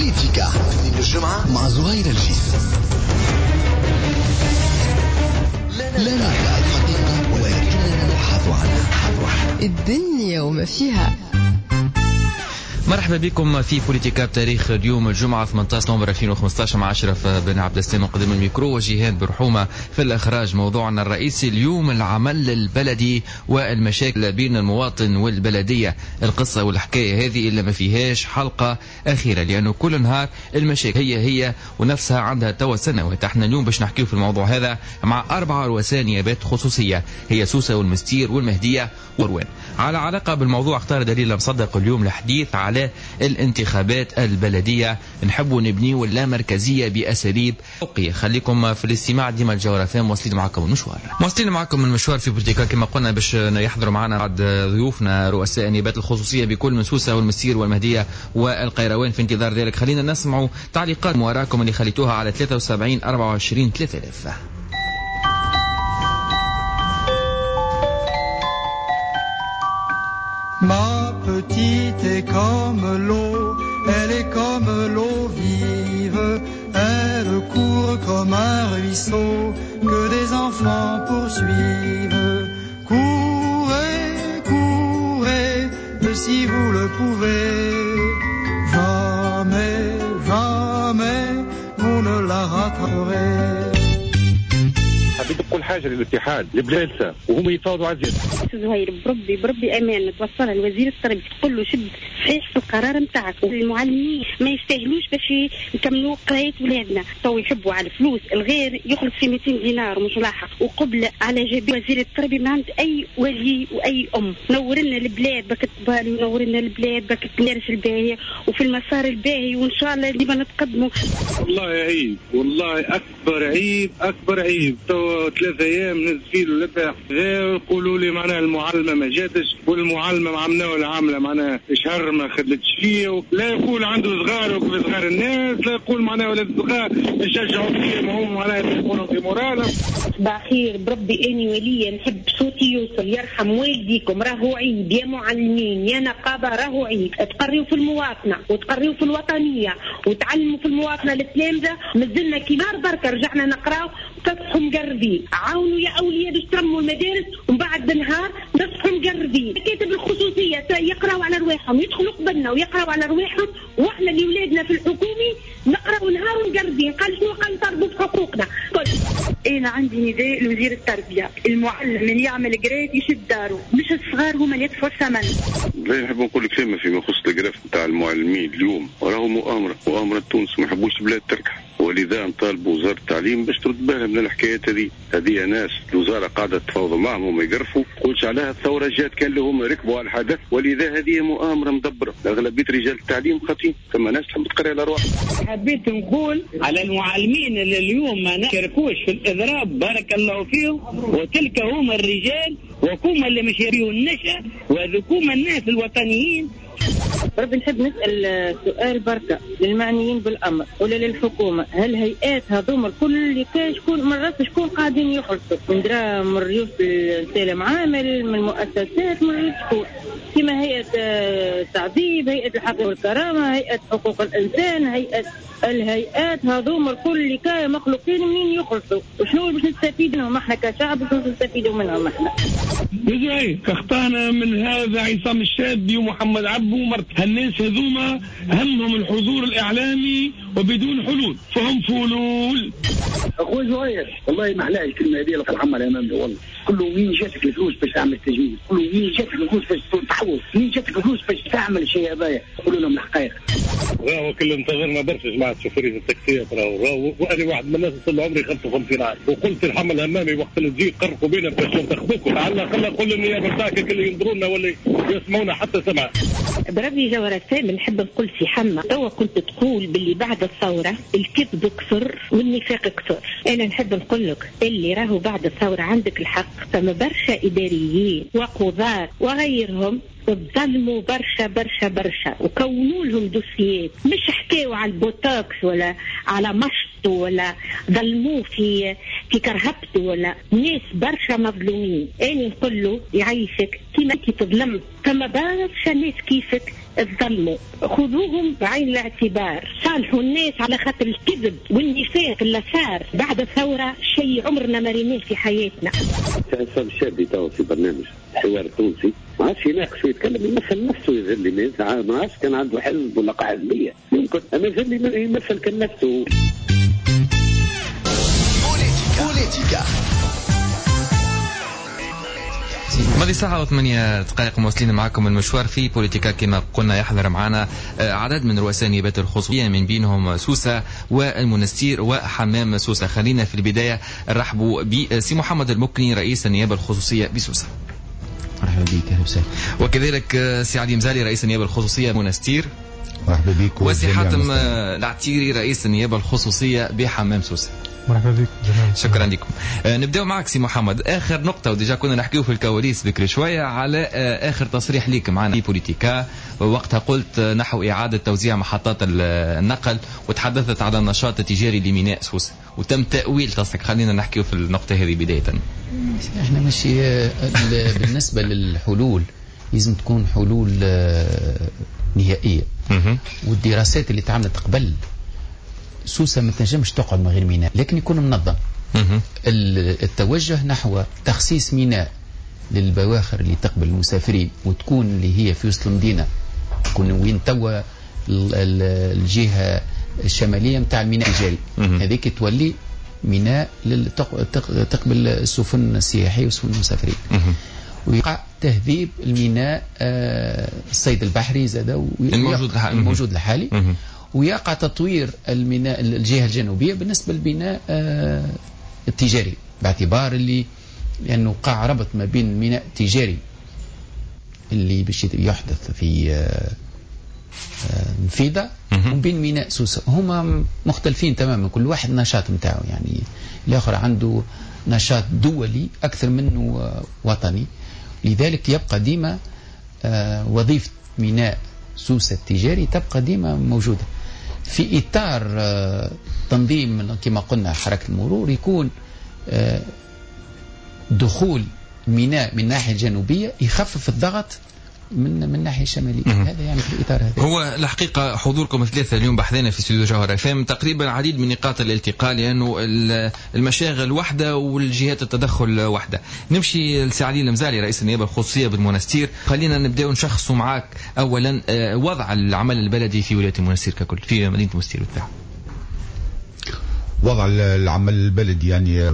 بوليتيكا الجمعة مع زهير الجيس. لا نرى الحقيقة ولكننا نبحث عنها. الدنيا وما فيها. مرحبا بكم في بوليتيكا بتاريخ اليوم الجمعة 18 نوفمبر 2015 مع أشرف بن عبد السلام قدام الميكرو وجيهان برحومة في الإخراج. موضوعنا الرئيسي اليوم العمل البلدي والمشاكل بين المواطن والبلدية. القصة والحكاية هذه اللي ما فيهاش حلقة أخيرة، لأنه كل نهار المشاكل هي ونفسها عندها توا سنوات. احنا اليوم باش نحكيو في الموضوع هذا مع 4 رؤساء نيابات خصوصية هي سوسة والمستير والمهدية وروان. على علاقة بالموضوع اختار دليل مصدق اليوم الحديث على الانتخابات البلدية. نحب نبنيو اللامركزية بأساليب فوقية. خليكم في الاستماع ديما الجوهرة فام. واصلين معكم المشوار، واصلين معكم المشوار في بوليتيكا كما قلنا باش يحضروا معنا بعض ضيوفنا رؤساء النيابات الخصوصية بكل من سوسة والمسير والمهدية والقيروان. في انتظار ذلك خلينا نسمعوا تعليقات وراكم اللي خليتوها على 73 24 3000. Ma petite est comme l'eau, elle est comme l'eau vive, elle court comme un ruisseau que des enfants poursuivent. Courez, courez, si vous le pouvez, jamais, jamais vous ne la rattraperez. حبيت نقول حاجة للاتحاد البلادسه وهم يتفاوضوا على الزيادة. زهير بربي بربي امان توصلها لوزير التربية تقول له شد صحيح في القرار نتاعك، والمعلمين ما يستاهلوش باش يكملوا قرايه ولادنا، تو يحبوا على الفلوس، الغير يخلص في 200 دينار ومش لاحق، وقبل على جبين وزير التربية من عند اي ولي واي ام. نور لنا البلاد بك الطبال ونور لنا البلاد بك المدارس الباهيه وفي المسار الباهي، وان شاء الله ديما نتقدموا. والله عيب، والله اكبر عيب، اكبر عيب. 3 ايام نزيلوا لبها يقولوا لي معناها المعلمة ما جاتش، والمعلمه عملناها العاملة معناها شهر ما خدمتش فيه، لا يقول عنده صغار وكيف صغار الناس، لا يقول معناها ولاد صغار يشجعوا فيهم هم معناها يكونوا في مورالهم. صباح خير بربي، اني وليا نحب صوتي يوصل، يرحم والديكم، راهو عيب يا معلمين يا نقابة، راهو عيب تقريوا في المواطنة وتقريوا في الوطنية وتعلموا في المواطنة التلامذه. مازلنا كي نهار بركة رجعنا نقراو تصحوا مقربين، عاونوا يا اولياء باش ترموا المدارس، ومن بعد نهار نصحوا مقربين. مكاتب الخصوصية يقراوا على رواحهم، يدخلوا قبلنا ويقراوا على رواحهم، واحنا اللي ولادنا في الحكومي نقراوا نهار ومقربين. قال شنو؟ قال نطالبوا بحقوقنا. انا عندي نداء لوزير التربية، المعلم اللي يعمل grève يشد داره، مش الصغار هما اللي يدفعوا الثمن. لا نحب نقول كلمة فيما يخص ال grève نتاع المعلمين اليوم، راهو مؤامرة، مؤامرة تونس، ما يحبوش البلاد تركح، ولذا نطالب وزارة التعليم باش ترد بالها من الحكايات هذه. هذه ناس الوزارة قاعدة تفاوض معهم وما يقرفوا، قولش عليها الثورة جات كان لهم ركبوا على الحدث، ولذا هذه مؤامرة مدبره. اغلبية رجال التعليم خاطئين، ثم ناس تحب تقرا على روحها. حبيت نقول على المعلمين اللي اليوم ما شاركوش في الاضراب بارك الله فيهم، وتلك هم الرجال وكما اللي مش يبيوا النشأ وذكوما الناس الوطنيين. ربي نحب نسأل سؤال بركة للمعنيين بالأمر ولا للحكومة، هل هيئات هذوما الكل اللي كان شكون من راس شكون قاعدين يخلصوا من درا من ريوس السلام عامل من المؤسسات من ريوس شكون، كما هيئة التعذيب، هيئة الحق والكرامة، هيئة حقوق الإنسان، هيئة الهيئات هذوما الكل اللي كانوا مخلوقين منين يخلصوا وشنو باش نستفيد منهم احنا كشعب، وشنو نستفيدوا منهم احنا؟ ازاي اخطانا من هذا عصام الشابي ومحمد عبو ومرت هالناس هذوما، همهم الحضور الاعلامي وبدون حلول، فهم فلول. اخوي زهير والله ما احلاها الكلمة هذه اللي العمل امامنا، والله كله مين جاتك الفلوس باش تعمل تجميل، كله مين جاتك الفلوس باش تحوس، مين جاتك الفلوس باش تعمل شيء هذايا، قولوا لهم الحقائق. راهو كل انتظرنا برشا جماعة شوفيريه التاكسيات، راهو وانا واحد من الناس وصل عمري 55 عام، وقلت الحمل الهمامي وقت اللي تجي قرقوا بينا باش ننتخبوكم، على الاقل قول النيابة نتاعك اللي ينظروا لنا ولا يسمعونا حتى سمع. بربي جوهرة سامي نحب نقول سي حما، توا كنت تقول باللي بعد الثورة الكذب كثر والنفاق كثر، أنا نحب نقول لك اللي راهو بعد الثورة عندك الحق، فما برشا إداريين وقضاة وغيرهم تظلموا برشا برشا برشا وكونوا لهم دوسيات، مش حكاوا على البوتوكس ولا على مشط خدمته ولا ظلموه في كرهبته ولا ناس برشا مظلومين. أنا نقول له يعيشك كيما أنت تظلمت فما برشا ناس كيفك تظلموا، خذوهم بعين الاعتبار، صالحوا الناس على خاطر الكذب والنفاق اللي صار بعد الثورة شيء عمرنا ما ريناه في حياتنا. عصام الشابي تو في برنامج الحوار التونسي ما عادش يناقش ويتكلم، يمثل نفسه يظل ما عادش كان عنده حزب ولا حزبية يمكن، اما يظل يمثل كان نفسه. بوليتيكا ماضي 7:08 مواصلين معكم المشوار في بوليتيكا. كما قلنا يحضر معنا عدد من رؤساء النيابات الخصوصية من بينهم سوسة والمنستير وحمام سوسة. خلينا في البداية نرحبوا بسي محمد المكني رئيس النيابة الخصوصية بسوسة. مرحبا بك، اهلا وسهلا. وكذلك سي علي مزالي رئيس النيابة الخصوصية منستير. مرحبا بك. وسي حاتم العتيري رئيس النيابة الخصوصية بحمام سوسة. مرحبا بك. شكرا لكم. نبداو معك سي محمد. اخر نقطة و déjà كنا نحكيو في الكواليس بكري شوية على اخر تصريح ليك معنا في بوليتيكا، وقتها قلت نحو اعاده توزيع محطات النقل وتحدثت على النشاط التجاري لميناء سوسة وتم تاويل تصريح. خلينا نحكيو في النقطة هذه بداية. احنا ماشي بالنسبة للحلول لازم تكون حلول نهائية، والدراسات اللي تعملت قبل سوسة ما تنجمش تقعد من غير ميناء، لكن يكون منظم. التوجه نحو تخصيص ميناء للبواخر اللي تقبل المسافرين وتكون اللي هي في وسط المدينة، تكون وين توا الجهة الشمالية نتاع الميناء التجاري هذيك تولي ميناء تقبل السفن السياحية وسفن المسافرين. ويقع تهذيب الميناء الصيد البحري زاد الموجود الحالي، ويقع تطوير الميناء الجهة الجنوبية بالنسبة للبناء التجاري، باعتبار اللي لأنه قع ربط ما بين الميناء التجاري اللي باش يحدث في نفيدة وبين ميناء سوسة، هما مختلفين تماما، كل واحد نشاط نتاعو، يعني الآخر عنده نشاط دولي أكثر منه وطني. لذلك يبقى ديما وظيفة ميناء سوسة التجاري تبقى ديما موجودة في إطار تنظيم كما قلنا حركة المرور، يكون دخول ميناء من الناحية الجنوبية يخفف الضغط من الناحية الشمالية. هذا يعني في الإطار هذا. هو الحقيقة حضوركم الثلاثة اليوم بحثنا في استوديو جوهرة اف ام تقريبا عديد من نقاط الالتقاء، لأنه المشاغل واحدة والجهات التدخل واحدة. نمشي لسي علي المزالي رئيس النيابة الخصوصية بالمنستير. خلينا نبداو نشخصوا معاك أولا وضع العمل البلدي في ولاية المنستير ككل، في مدينة المنستير بالتحديد. وضع العمل البلدي يعني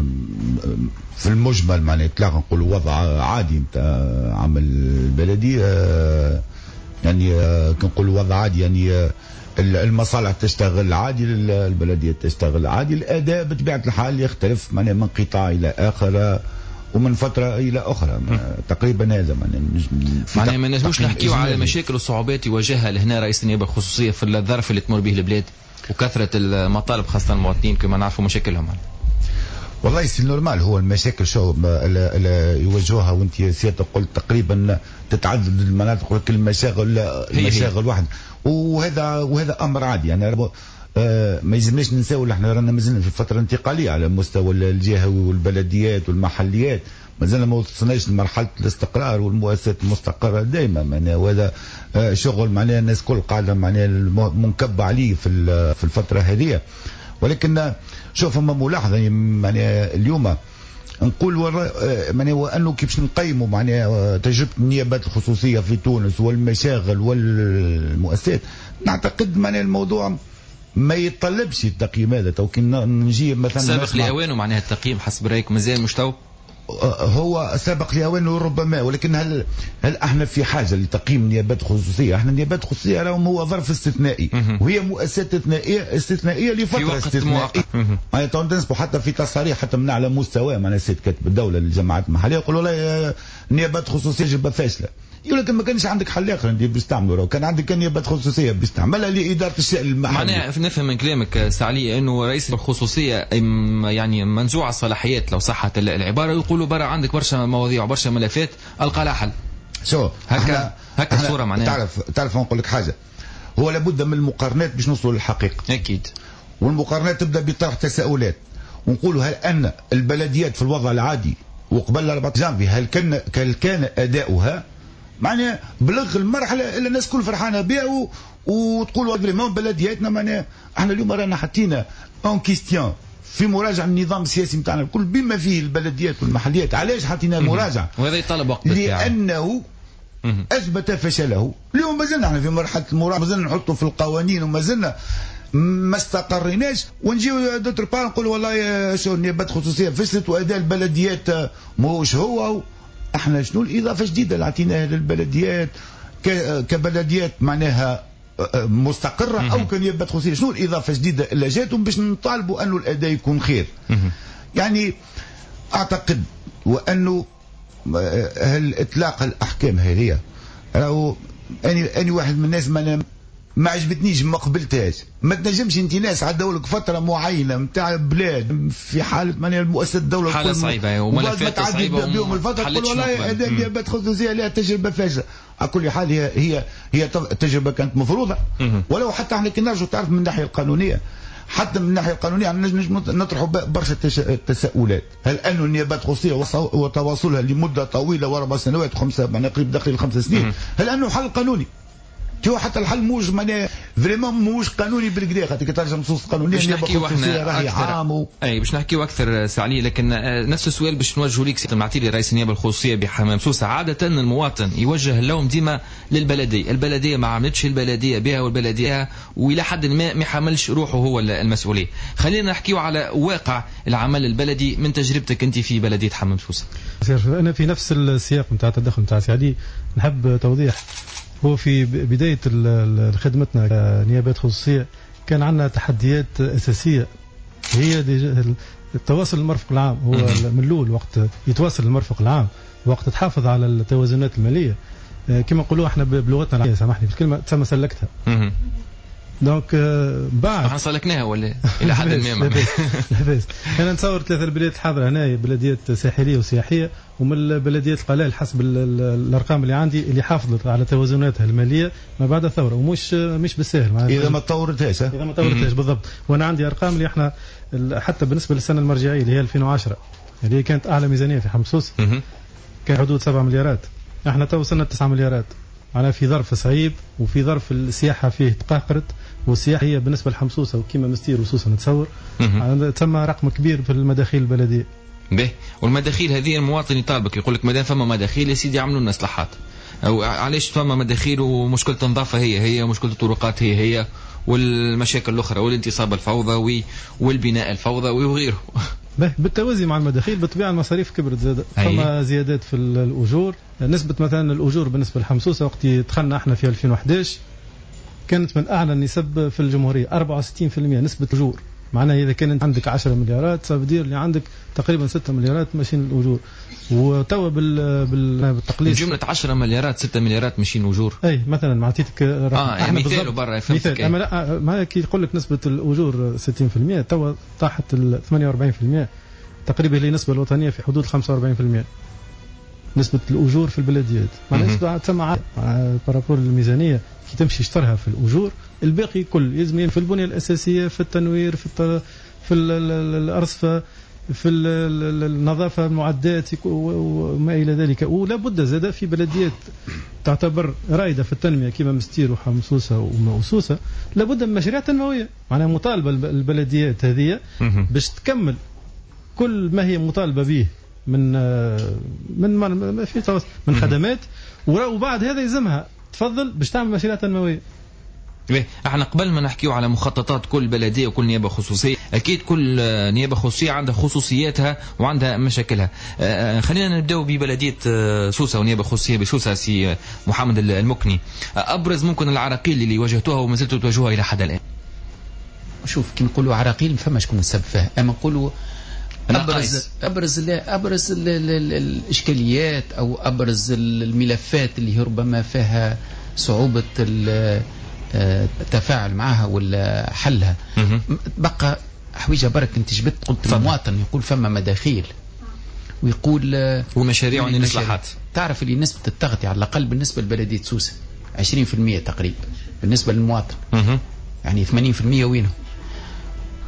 في المجمل معناها اطلاقا نقولوا وضع عادي نتاع عمل البلدي، يعني كنقولوا وضع عادي يعني المصالح تشتغل عادي، البلدية تشتغل عادي، الاداء بطبيعة الحال يختلف معناها من قطاع الى اخر ومن فترة الى اخرى تقريبا. هذا معناها ما نجموش نحكيو على مشاكل وصعوبات يواجهها لهنا رئيس النيابة الخصوصية في الظرف اللي تمر به البلاد وكثرة المطالب خاصة المواطنين كما نعرفوا مشاكلهم. والله c'est normal، هو المشاكل شو يواجهوها، وانت سيادتك قلت تقريبا تتعدد المناطق ولكن المشاغل المشاغل واحد، وهذا امر عادي يعني. ما يلزمناش ننساو احنا رانا مازلنا في فترة انتقالية على مستوى الجهوي والبلديات والمحليات، مازلنا ما وصلناش لمرحلة الاستقرار والمؤسسات المستقره دائما معناها، وهذا شغل معناها الناس الكل قاعدة معناها منكبه عليه في الفترة هذه. ولكن شوف فما ملاحظة معناها اليوم نقول معناها انه كيفاش نقيموا معناها تجربه النيابات الخصوصية في تونس والمشاغل والمؤسسات، نعتقد معناها الموضوع ما يتطلبش التقييم هذا. تو كي نجي مثلا سابق لاوانه معناها التقييم حسب رايك مازال مش تو؟ هو سابق لاوانه ربما، ولكن هل احنا في حاجة لتقييم نيابات خصوصية؟ احنا النيابات الخصوصية راهم هو ظرف استثنائي، وهي مؤسسات استثنائية لفترة استثنائية. معناها تنسبوا حتى في تصاريح حتى من على مستوى معناها السيد كاتب الدولة للجماعات المحلية يقولوا لا النيابات الخصوصية تجربه فاشلة. يقول لك ما كانش عندك حل اخر انت باش تعمله، لو كان عندك نيابات خصوصية باش تعملها لادارة الشأن المحلي. معناها نفهم من كلامك سي علي انه رئيس الخصوصية يعني منزوع الصلاحيات لو صحت العبارة، يقولوا برا عندك برشا مواضيع وبرشا ملفات القى لها حل. شو هكا الصورة معناها. تعرف نقول لك حاجة، هو لابد من المقارنات باش نوصلوا للحقيقة. اكيد. والمقارنات تبدا بطرح تساؤلات، ونقولوا هل ان البلديات في الوضع العادي وقبل 4 جانفي هل كان اداؤها معناها بلغ المرحلة اللي الناس كل فرحانة بها وتقولوا vraiment بلدياتنا؟ معناها احنا اليوم رانا حطينا en question في مراجعه النظام السياسي نتاعنا الكل بما فيه البلديات والمحليات. علاش حطينا مراجعه؟ وهذا يطلب وقت، لانه اثبت فشله. اليوم مازلنا احنا في مرحلة المراجعة، مازلنا نحطوا في القوانين ومازلنا ما استقريناش، ونجيو d'autre part نقولوا والله شو النيابات الخصوصية فشلت واداء البلديات ماهوش هو. احنا شنو الاضافة الجديدة اللي عطيناها للبلديات كبلديات معناها مستقره او كنيابات خصوصية؟ شنو الاضافة الجديدة اللي جاتهم باش نطالبوا انه الاداء يكون خير؟ يعني اعتقد وانه هل اطلاق الاحكام هذه راهو اني واحد من الناس ما عجبتنيش، ما قبلتهاش. ما تنجمش انت ناس عدوا لك فترة معينة نتاع بلاد في حاله معناها المؤسسة الدولة حاله صعيبة وملفات صعيبة بهم الفترة تقول والله اداء النيابات الخصوصية لها تجربه فاشلة. على كل حال هي هي هي تجربه كانت مفروضة، ولو حتى احنا كي نرجعوا تعرف من الناحية القانونية، حتى من الناحية القانونية نجم نطرحوا برشا تساؤلات. هل أن النيابات الخصوصية وتواصلها لمدة طويلة واربع سنوات وخمسة معناها قريب داخل 5 سنين، هل انه حل قانوني؟ تو حتى الحل موش معناها vraiment موش قانوني بالكدا، خاطر كي ترجع نصوص قانونية باش نحكيو احنا اكثر. اي باش نحكيو اكثر سي علي، لكن نفس السؤال باش نوجهه لك سي المعتيلي رئيس النيابة الخصوصية بحمام سوسة. عادة المواطن يوجه اللوم ديما للبلديه، البلدية ما عملتش، البلدية بها والبلديه، والى حد ما ما يحملش روحه هو المسؤولية. خلينا نحكيو على واقع العمل البلدي من تجربتك انت في بلديه حمام سوسة. انا في نفس السياق نتاع التدخل نتاع سي علي نحب توضيح. هو في بداية خدمتنا كنيابات خصوصية كان عندنا تحديات أساسية، هي التواصل المرفق العام. هو من الأول وقت يتواصل المرفق العام وقت تحافظ على التوازنات المالية كما نقولوا احنا بلغتنا، سامحني في الكلمة، تسمى سلكتها. donc بعد احنا سلكناها ولا الى حد ما؟ لاباس. انا نتصور 3 البلديات الحاضرة هنا بلديات ساحليه وسياحيه، ومن البلديات القلائل حسب الارقام اللي عندي اللي حافظت على توازناتها المالية ما بعد الثورة، ومش مش بالساهل اذا ما تطورتهاش. اذا ما تطورتهاش بالضبط. وانا عندي ارقام اللي احنا حتى بالنسبة للسنة المرجعية اللي هي 2010 اللي هي كانت اعلى ميزانية في حمام سوسة، كان حدود 7 مليارات، احنا تو وصلنا 9 مليارات. معناها في ظرف صعيب وفي ظرف السياحة فيه تقهقرت، والسياحة هي بالنسبة لحمام سوسة وكيما مستير وسوسه نتصور تسمى رقم كبير في المداخيل البلدية. به والمداخيل هذه المواطن يطالبك يقول لك مادام فما مداخيل يا سيدي عملوا لنا اصلاحات، او علاش فما مداخيل ومشكلة النظافة هي هي، ومشكلة الطرقات هي هي، والمشاكل الاخرى والانتصاب الفوضوي والبناء الفوضوي وغيره. بالتوازي مع المداخيل بالطبيعة المصاريف كبرت زاد، فما زيادات في الاجور. نسبه مثلا الاجور بالنسبة لحمام سوسة وقت دخلنا احنا في 2011 كانت من اعلى النسب في الجمهورية، 64% نسبه الاجور. معناها اذا كان عندك 10 مليارات ça veut dire اللي عندك تقريبا 6 مليارات ماشيين الاجور. وتوا بالتقليص جملة 10 مليارات 6 مليارات ماشيين اجور. اي مثلا ما عطيتك رقم يعني مثال برا مثال. اما لا ما كي يقول لك نسبه الاجور 60% توا طاحت 48% تقريبا، اللي النسبة الوطنية في حدود 45% نسبة الأجور في البلديات. معناها نسبة تسمى par rapport الميزانية كي تمشي اشترها في الأجور، الباقي كل يلزم في البنية الأساسية، في التنوير، في الأرصفة، في النظافة، المعدات وما إلى ذلك. ولا بد زاد في بلديات تعتبر رائدة في التنمية كما مستير وحمام سوسة وسوسة لابد من مشاريع تنموية. معناها مطالبة البلديات هذه باش تكمل كل ما هي مطالبة به من من ما في من خدمات، وبعد هذا يلزمها تفضل باش تعمل مشاريع تنموية. احنا قبل ما نحكيو على مخططات كل بلديه وكل نيابة خصوصية، اكيد كل نيابة خصوصية عندها خصوصياتها وعندها مشاكلها. خلينا نبداو ببلديه سوسة ونيابه خصوصية بسوسه. سي محمد المكني، ابرز ممكن العراقيل اللي واجهتوها وما زلتوا تواجهوها الى حد الان. شوف كي نقولوا عراقيل ما فماش شكون السبب فيها، اما نقولوا ابرز الاشكاليات او ابرز الملفات اللي ربما فيها صعوبة التفاعل معها ولا حلها. بقى حويجه برك انت جبت قلت المواطن يقول فما مداخيل ويقول ومشاريع والاصلاحات. تعرف اللي نسبه التغطية على الاقل بالنسبة لبلديه سوسة 20% تقريبا بالنسبة للمواطن، يعني 80% وينه؟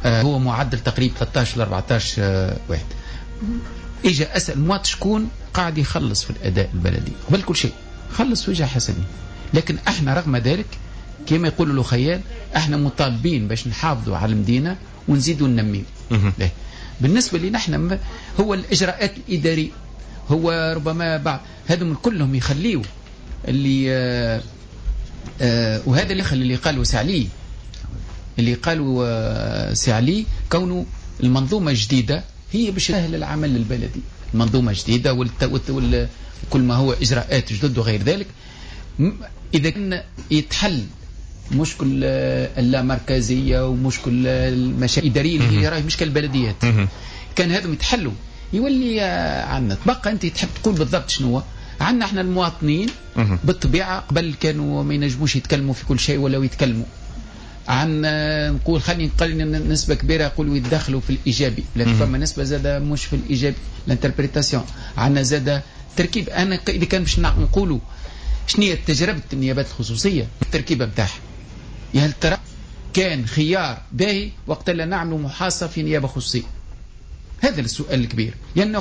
هو معدل تقريبا 13 ل 14 واحد. اجا اسال مواطن شكون قاعد يخلص في الاداء البلدي قبل كل شيء، خلص وجهه حسني. لكن احنا رغم ذلك كما يقولوا الخيال احنا مطالبين باش نحافظوا على المدينة ونزيدوا ننميو. بالنسبة لنا احنا هو الاجراءات الادارية، هو ربما بعض هذم كلهم يخليوا اللي وهذا اللي خلي اللي قالوا سعلي، اللي قالوا سعلي كونه المنظومة الجديدة هي باش تسهل العمل البلدي، المنظومة الجديدة وكل ما هو اجراءات جدد وغير ذلك. اذا كان يتحل مشكل اللامركزيه ومشكل المشاكل الادارية اللي هي راهي مشكل البلديات، كان هذم يتحلوا يولي عندنا. تبقى انت تحب تقول بالضبط شنو عندنا احنا المواطنين. بالطبيعة قبل كانوا ما ينجموش يتكلموا في كل شيء ولا يتكلموا عن، نقول خلينا نقول نسبه كبيرة يقولوا يتدخلوا في الايجابي، لكن فما نسبه زاده مش في الايجابي، l'interprétation. عندنا زاده تركيب. انا اذا كان باش نقولوا شنو هي تجربه النيابات الخصوصية، التركيبة نتاعها، يا هل ترى كان خيار باهي وقت اللي نعملوا محاصه في نيابة خصوصية؟ هذا السؤال الكبير، لانه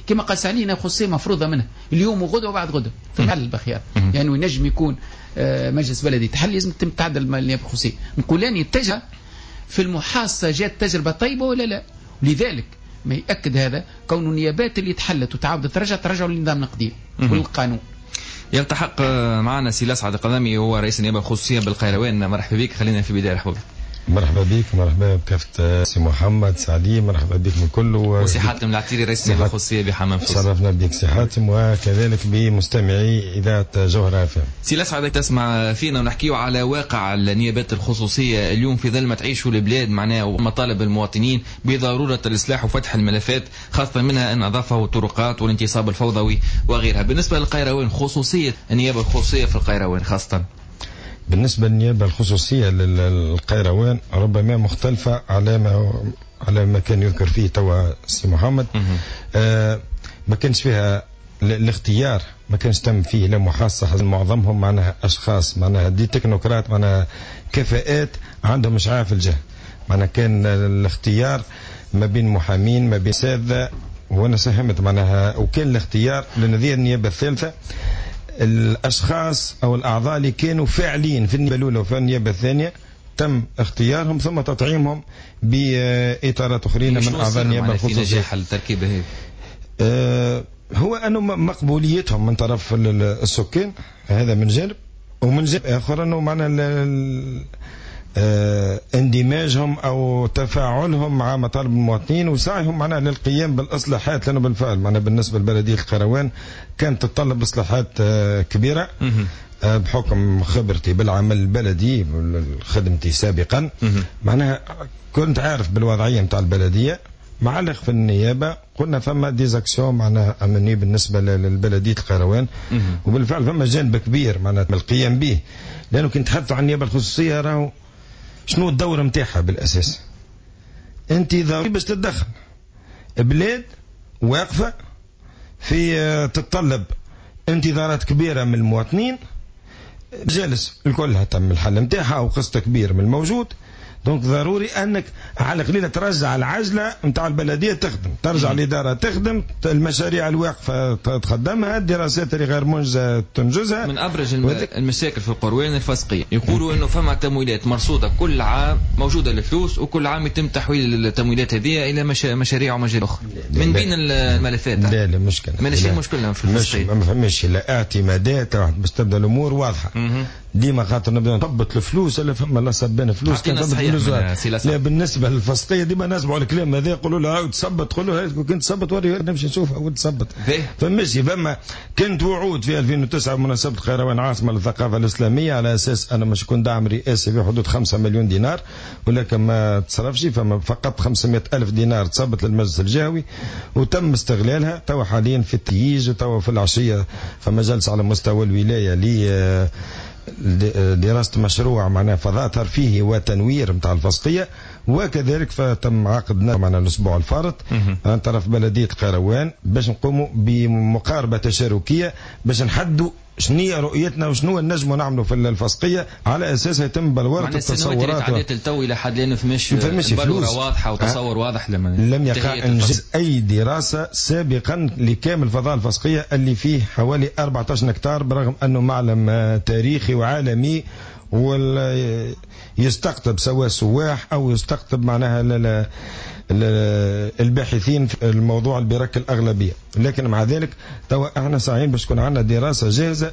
كما قال سعلي نيابة خصوصية مفروضة منها اليوم وغدا وبعد غدا تحل بخيار، يعني ينجم يكون مجلس بلدي تحل لازم تتم تعدل النيابة الخصوصية. نقول اني التجربة في المحاصه جات تجربه طيبة ولا لا؟ لذلك ما يأكد هذا كون النيابات اللي تحلت وتعاودت ترجع ترجعوا للنظام القديم والقانون. يلتحق معنا سي لسعد القذامي، هو رئيس النيابة الخصوصية بالقيروان. مرحبا بك، خلينا في بداية رحبوا بك. مرحبا بك، مرحبا بكافة سي محمد سعدي، مرحبا بك من كل، وسي حاتم العتيري رئيس النيابة الخصوصية بحمام سوسة. شرفنا بك سي حاتم، وكذلك بمستمعي اذاعة جوهرة اف ام. سي لسعد، تسمع فينا ونحكيو على واقع النيابات الخصوصية اليوم في ظل ما تعيشوا البلاد معناها ومطالب المواطنين بضرورة الاصلاح وفتح الملفات، خاصة منها النظافة والطرقات والانتصاب الفوضوي وغيرها. بالنسبة للقيروان، خصوصية النيابة الخصوصية في القيروان خاصة، بالنسبة للنيابة الخصوصية للقيروان ربما مختلفة على ما كان يذكر فيه توا سي محمد. ما كانش فيها الاختيار، ما كانش تم فيه لا محاصة، معظمهم معناها أشخاص معناها des technocrates، معناها كفاءات عندهم إشعاع في الجهة. معناها كان الاختيار ما بين محامين ما بين أساتذة، وأنا ساهمت معناها، وكان الاختيار لنذير النيابة الثالثة الأشخاص أو الأعضاء اللي كانوا فاعلين في النيابة الأولى وفي النيابة الثانية تم اختيارهم ثم تطعيمهم بإطارات أخرين من أعضاء النيابة الخصوصية. في نجاح التركيبة هذه هو أنه مقبوليتهم من طرف السكان، هذا من جانب، ومن جانب آخر أنه معنا اندماجهم أو تفاعلهم مع مطالب المواطنين وسعيهم معنا للقيام بالإصلاحات، لأنه بالفعل معنا بالنسبة لبلدية القيروان كانت تتطلب إصلاحات كبيرة. بحكم خبرتي بالعمل البلدي خدمتي سابقا، معناها كنت عارف بالوضعية نتاع البلدية. معلق في النيابة قلنا فما des actions معناها أمنية بالنسبة للبلدية القيروان، وبالفعل فما جانب كبير معناها القيام به، لأنه كنت تحدثوا عن النيابة الخصوصية راهو شنو الدور نتاعها بالأساس؟ أنت ضروري باش تتدخل بلاد واقفة في تتطلب انتظارات كبيرة من المواطنين، جالس الكلها تم الحل نتاعها أو قسط كبير من الموجود. donc ضروري انك على قليله ترجع العجلة نتاع البلدية تخدم، ترجع الادارة تخدم، المشاريع الواقفه تخدمها، الدراسات اللي غير منجزه تنجزها. من ابرز المشاكل في القروان الفسقيه، يقولوا انه فما تمويلات مرصوده كل عام موجودة الفلوس، وكل عام يتم تحويل التمويلات هذه الى مشاريع ومجال اخرى من بين الملفات. لا لا مشكلة، ماشي المشكلة في الفسقيه، ما فماش لا اعتمادات باش تبدا الامور واضحة. ديما خاطر نبدا نطبط الفلوس ولا فما لا صبان فلوس. لا بالنسبة للفسقيه ديما نسمعوا الكلام هذا، يقولوا له عاود تصبت، قولوا له كنت تصبت وري نمشي نشوف عاود تصبت. فماشي فما كانت وعود في 2009 بمناسبة القيروان عاصمة للثقافة الاسلامية على اساس انا مش يكون دعم رئاسي في حدود 5 مليون دينار، ولكن ما تصرفش، فما فقط 500 الف دينار تصبت للمجلس الجهوي وتم استغلالها. توا حاليا في التيج وتوا في العشية فما جلسه على مستوى الولاية ل دراسة مشروع معناها فضاء ترفيهي وتنوير نتاع الفسقية، وكذلك فتم عقدنا معنا الأسبوع الفارط عن طرف بلدية القيروان باش نقوموا بمقاربة تشاركية باش نحدوا شنو رؤيتنا وشنو نجموا نعملوا في الفسقيه، على اساسها يتم بلوره التصورات. عديت التو الى حد الان فماش بلوره واضحة وتصور واضح لم يقع انجاز اي دراسة سابقا لكامل فضاء الفسقيه اللي فيه حوالي 14 هكتار، برغم انه معلم تاريخي وعالمي ويستقطب سواء سواح او يستقطب معناها الباحثين في الموضوع البرك الأغلبية. لكن مع ذلك توا احنا ساعين باش تكون عندنا دراسة جاهزة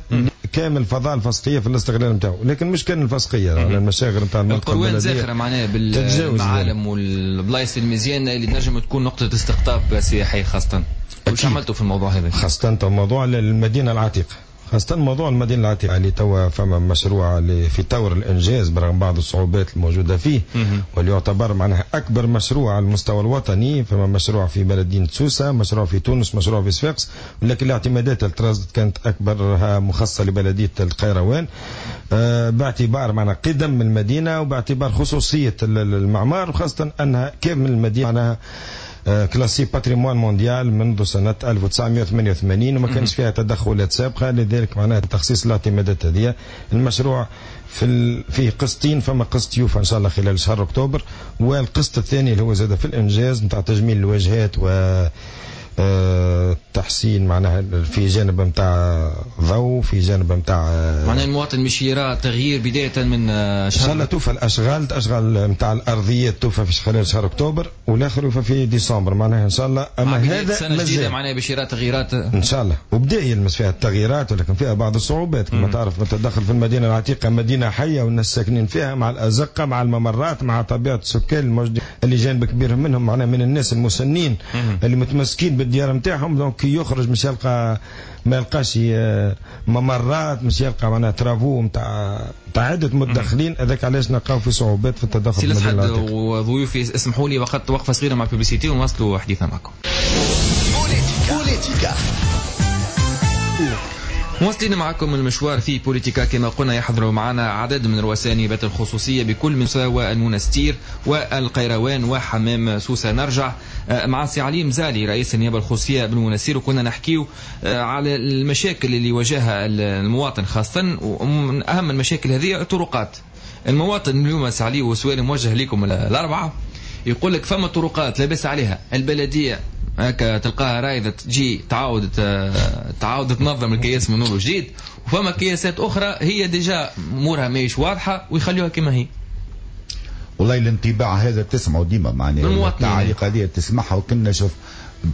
كامل فضاء الفسقية في الاستغلال نتاعو، لكن مش كان الفسقية على المشاغل نتاع المنطقة القروان زاخرة معناها بالمعالم والبلايص المزيانة اللي تنجم تكون نقطة استقطاب سياحي خاصة. واش عملتوا في الموضوع هذا؟ خاصة موضوع المدينة العتيقة، خاصة موضوع المدينة العتيقة اللي توا فما مشروع اللي في طور الإنجاز برغم بعض الصعوبات الموجودة فيه، واللي يعتبر معناها أكبر مشروع على المستوى الوطني. فما مشروع في بلدية سوسة، مشروع في تونس، مشروع في صفاقس، ولكن الاعتمادات الترازت كانت أكبرها مخصصة لبلدية القيروان، باعتبار معناها قدم المدينة وباعتبار خصوصية المعمار، وخاصة أنها كامل المدينة معناها classée patrimoine mondial منذ سنة 1988 وما كانش فيها تدخلات سابقة، لذلك معناها تخصيص الاعتمادات هذه. المشروع فيه قسطين، فما قسط يوفى إن شاء الله خلال شهر أكتوبر، والقسط الثاني اللي هو زاد في الإنجاز نتاع تجميل الواجهات و تحسين معناها في جانب نتاع ضوء، في جانب نتاع معناها المواطن مش يرى تغيير بداية من شهر ان شاء الله. توفى الاشغال نتاع الارضيات توفى في خلال شهر اكتوبر، والاخر يوفى في ديسمبر معناها ان شاء الله. اما هذا سنة جديدة معناها باش يرى تغييرات ان شاء الله، وبدا يلمس فيها التغييرات ولكن فيها بعض الصعوبات كما تعرف. التدخل في المدينة العتيقة مدينة حية والناس ساكنين فيها مع الأزقة مع الممرات مع طبيعة السكان الموجودين اللي جانب كبير منهم معناها من الناس المسنين اللي متمسكين بالديار نتاعهم. donc يخرج مش يلقى، ما يلقاش ممرات، مش يلقى معناها travaux نتاع عدة متدخلين. هذاك علاش نلقاو في صعوبات في التدخل. سي الأسعد وضيوفي اسمحوا لي وقت وقفة صغيرة مع publicité ونواصلوا حديثنا معكم. بوليتيكا مواصلين معكم المشوار في بوليتيكا. كما قلنا يحضر معنا عدد من رؤساء النيابات الخصوصية بكل من سوسة والمنستير والقيروان وحمام سوسة. نرجع مع سي علي مزالي رئيس النيابة الخصوصية بالمنستير، وكنا نحكيو على المشاكل اللي واجهها المواطن خاصة، ومن أهم المشاكل هذه الطرقات. المواطن اليوم سي علي، وسؤال موجه لكم الأربعة، يقول لك فما طرقات لاباس عليها البلدية هكا تلقاها رايدة تجي تعاود تنظم الكياس من اول وجديد، وفما كياسات اخرى هي déjà امورها ماهيش واضحة ويخليوها كما هي. والله الانطباع هذا تسمعه ديما معناها التعاليق هذه تسمعها، وكنا شوف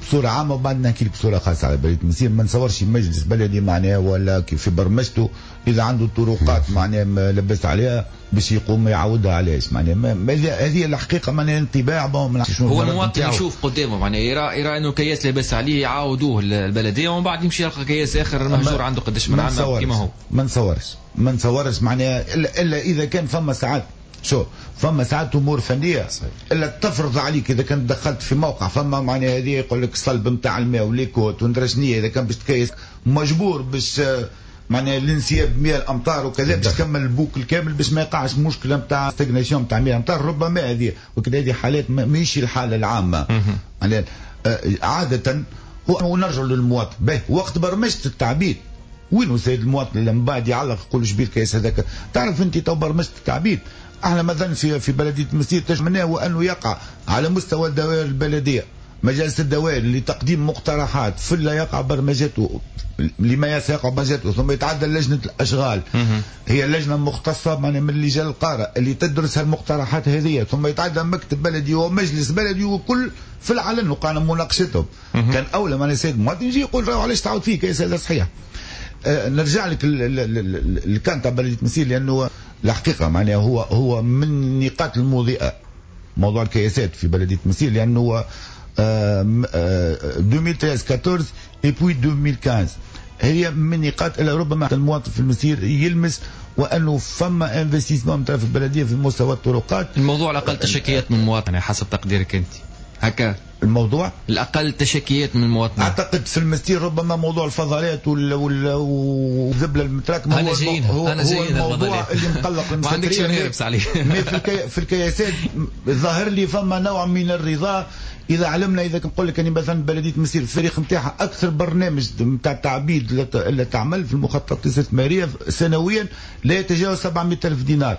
بصورة عامة وبعد نحكي لك بصورة خاصة على بلديه المنستير. ما نصورش مجلس بلدي معناها ولا في برمجته اذا عنده طرقات معناها لبس عليها باش يقوم يعاودها. علاش معناها هذه الحقيقة معناها انطباع. هو المواطن يشوف قدامه معناها يرى انه كياس لاباس عليه يعاودوه البلدية، ومن بعد يمشي يلقى كياس اخر مهجور عنده قداش من عام كيما هو. ما نصورش معناها الا اذا كان فما ساعات شو فما ساعات امور فنية الا تفرض عليك اذا كنت دخلت في موقع فما معناها هذه يقول لك الصلب نتاع الماء و les côtes وندرى شنية، اذا كان باش تكيس مجبور باش معناها الانسياب مياه الامطار وكذا باش تكمل ال boucle الكامل باش ما يقعش مشكلة نتاع stagnation نتاع مياه الامطار. ربما هذه وكذا هذه حالات ماهيش الحالة العامة معناها عادة. ونرجع للمواطن به وقت برمجة التعبيد وين سيد المواطن اللي من بعد يعلق يقول شبيه الكيس هذاك. تعرف انت تو برمجة التعبيد احنا مثلا في بلديه المنستير تجمعناه وانه يقع على مستوى الدوائر البلدية مجالس الدوائر لتقديم مقترحات في لا يقع برمجته لما يقع برمجته ثم يتعدى لجنة الاشغال هي لجنة مختصة من لجان القارة اللي تدرس هالمقترحات هذه، ثم يتعدى مكتب بلدي ومجلس بلدي وكل في العلن وقعنا مناقشتهم. كان اولى ما السيد المواطن يجي يقول راهو علاش تعاود فيه كيس هذا صحيح. نرجع لك اللي كان تاع بلديه المنستير لانه الحقيقة معناها هو من النقاط المضيئة موضوع الكياسات في بلديه المنستير، لانه 2013 14 et puis 2015 هي من نقاط الى ربما المواطن في المنستير يلمس وانه فما investissement من طرف البلدية في مستوى الطرقات. الموضوع الاقل تشكيات من المواطن حسب تقديرك انت هكا؟ الموضوع الاقل تشكيات من المواطنين اعتقد في المنستير ربما موضوع الفضلات والذبله المتراكمة هو الموضوع اللي مقلق ما عندكش نهربس عليه. في الكياسات ظاهر لي فما نوع من الرضا اذا علمنا، اذا نقول لك يعني مثلا بلديه مسير الفريق نتاعها اكثر برنامج نتاع تعبيد اللي تعمل في المخططات الاستثمارية سنويا لا يتجاوز 700 الف دينار.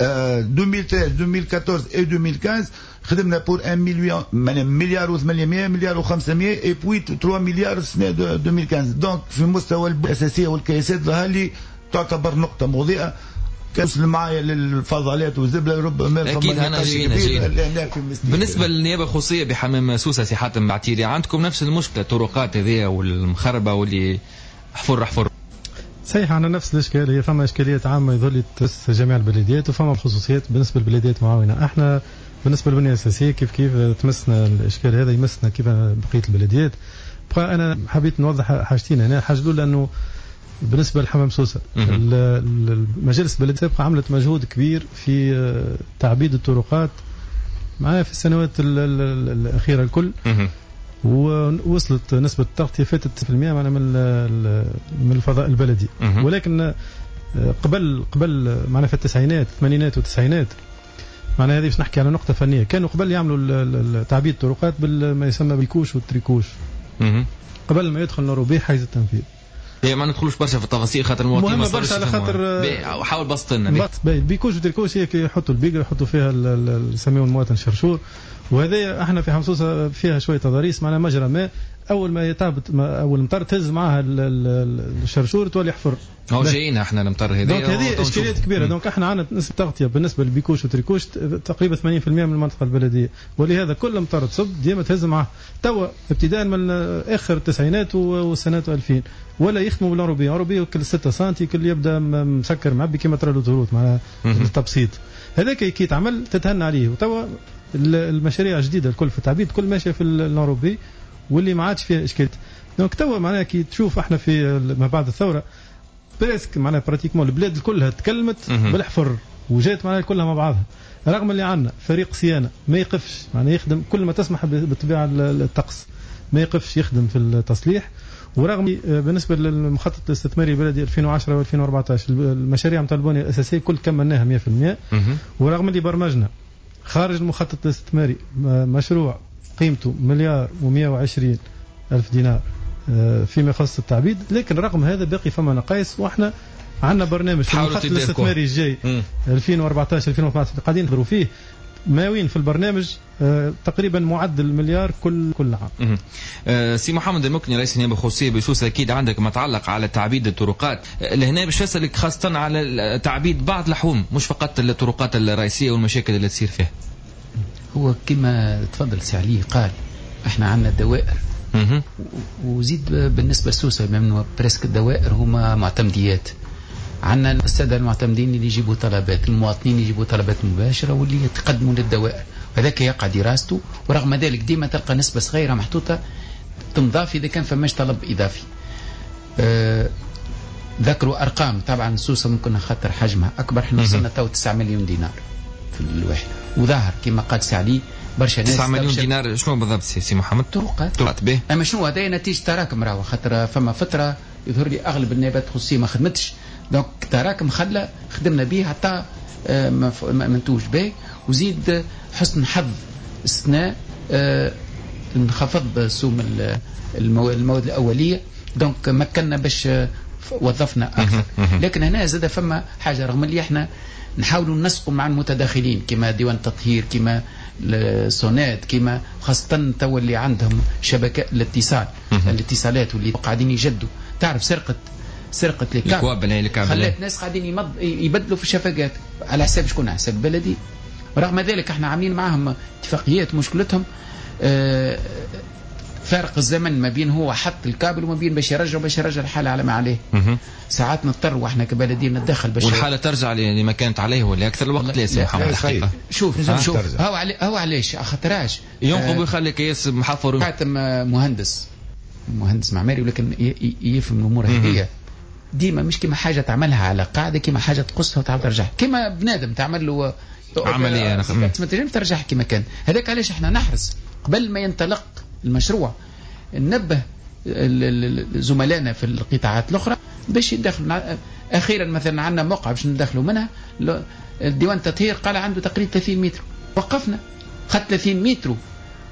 2013 2014 et 2015 خدمنا pour 1 مليون، مليار و800، مليار و500 et puis 3 مليار سنة 2015. donc في مستوى الاساسية والكياسات ظهر لي تعتبر نقطة مضيئة. كاس معايا للفضلات والزبله ربما اكيد انا جينا. بالنسبة للنيابه الخصوصية بحمام سوسة سي حاتم بعتيري، عندكم نفس المشكلة، الطرقات هذه والمخربه واللي حفر حفر؟ صحيح، عندنا نفس الاشكال. هي فما اشكاليات عامة يظل تمس جميع البلديات، وفما خصوصيات بالنسبة للبلديات معاونة. احنا بالنسبة للبنيه الاساسية كيف كيف تمسنا الاشكال هذا، يمسنا كيف بقية البلديات. بقى انا حبيت نوضح حاجتين هنا. الحاجة الاولى انه بالنسبة لحمام سوسة المجالس البلدية السابقة عملت مجهود كبير في تعبيد الطرقات معنا في السنوات الاخيرة الكل، ووصلت نسبة التغطية فاتت 90% معنا من الفضاء البلدي. ولكن قبل معنا في التسعينات، الثمانينات والتسعينات، معنا هذه باش نحكي على نقطة فنية، كانوا قبل يعملوا تعبيد الطرقات بما يسمى بال couche وال tricoche قبل ما يدخل l'enrobé حيز التنفيذ. ما ندخلوش برشا في التفاصيل خاطر المواطنين مهمة برشا، على خاطر حاول بسط لنا. ال bicoche وال tricoche هي كي يحطوا البيقر يحطوا فيها يسميوه المواطن شرشور، وهذا احنا في حمصوصه فيها شوية تضاريس، معنا مجرى ماء، اول ما يتعبت اول مطر تهز معاها الشرشور تولي حفر. هو جايين احنا المطر هذه، donc هذه اشكاليات كبيرة. donc احنا عندنا نسبه تغطيه بالنسبة لل bicoche و tricoche تقريبا 80% من المنطقة البلدية، ولهذا كل مطر تصب ديما تهز معاه. توا ابتداء من اخر التسعينات والسنوات 2000 ولا يخدموا بال enrobé، enrobé كل 6 سنتي كل يبدا مسكر معبي كيما ترى l'autoroute معناها التبسيط هذاك كي يتعمل تتهنى عليه. وتوا المشاريع الجديدة الكل في التعبيد كل ماشية في ال enrobé واللي ما عادش فيها اشكالات. donc توا معناها كي تشوف احنا في ما بعد الثورة presque معناها pratiquement البلاد كلها تكلمت بالحفر وجات معناها كلها مع بعضها، رغم اللي عندنا فريق صيانة ما يقفش، معناها يخدم كل ما تسمح بالطبيعة الطقس ما يقفش يخدم في التصليح. ورغم بالنسبة للمخطط الاستثماري البلدي 2010 و2014 المشاريع نتاع البنية الاساسية كل كملناها 100%، ورغم اللي برمجنا خارج المخطط الاستثماري مشروع قيمته 1,120,000 دينار فيما يخص التعبيد، لكن رغم هذا باقي فما نقائص. واحنا عندنا برنامج في المخطط الاستثماري الجاي 2014 2015 قاعدين نحضروا فيه، ماوين في البرنامج تقريبا معدل مليار كل عام. سي محمد المكني رئيس النيابة الخصوصية بسوسه، اكيد عندك ما تعلق على تعبيد الطرقات لهنا، باش نسالك خاصة على تعبيد بعض الحوم مش فقط الطرقات الرئيسية والمشاكل اللي تصير فيها. هو كما تفضل سي علي قال احنا عندنا دوائر، وزيد بالنسبة لسوسه بما presque الدوائر هما معتمديات، عندنا السادة المعتمدين اللي يجيبوا طلبات، المواطنين يجيبوا طلبات مباشرة واللي يتقدموا للدوائر، وهذاك يقع دراسته. ورغم ذلك ديما تلقى نسبه صغيرة محطوطة تنضاف اذا كان فماش طلب اضافي. ذكروا ارقام، طبعا سوسة ممكن خاطر حجمها اكبر، احنا وصلنا تو 9 مليون دينار في الواحد، وظاهر كما قال سي علي برشا ناس. 9 مليون دينار شنو بالضبط سي محمد؟ طرقات به. اما شنو هذا نتيجة تراكم، راهو خاطر فما فترة يظهر لي اغلب النيابات الخصوصية ما خدمتش، donc تراكم خلى خدمنا به حتى منتوج به. وزيد حسن حظ السنة انخفض سوم المواد الاولية، donc مكننا باش وظفنا اكثر. لكن هنا زاد فما حاجة، رغم اللي احنا نحاولوا ننسقوا مع المتداخلين كما ديوان التطهير، كما السونات، كما خاصة تو اللي عندهم شبكة الاتصال، الاتصالات واللي قاعدين يجدوا. تعرف سرقة les câbles خلات ناس قاعدين يبدلوا في الشفقات على حساب شكون؟ على حساب بلدي. رغم ذلك احنا عاملين معهم اتفاقيات، مشكلتهم فارق الزمن ما بين هو حط الكابل وما بين باش يرجع الحالة على ما عليه. ساعات نضطر واحنا كبلديه نتدخل باش والحالة ترجع لما كانت عليه ولا اكثر الوقت. لا سي محمد الحقيقة شوف هو علاش خاطراش ينقب ويخلي كياس محفر. حاتم مهندس معماري ولكن يفهم الامور هذه ديما، مش كما حاجة تعملها على قاعدة، كما حاجة تقصها وتعاود ترجعها، كما بنادم تعمل له عملية ما تنجم ترجعها كما كان. هذاك علاش احنا نحرص قبل ما ينطلق المشروع ننبه زملائنا في القطاعات الاخرى باش يدخلوا. اخيرا مثلا عندنا موقع باش ندخلوا منها الديوان التطهير، قال عنده تقريبا 30 متر، وقفنا خد 30 متر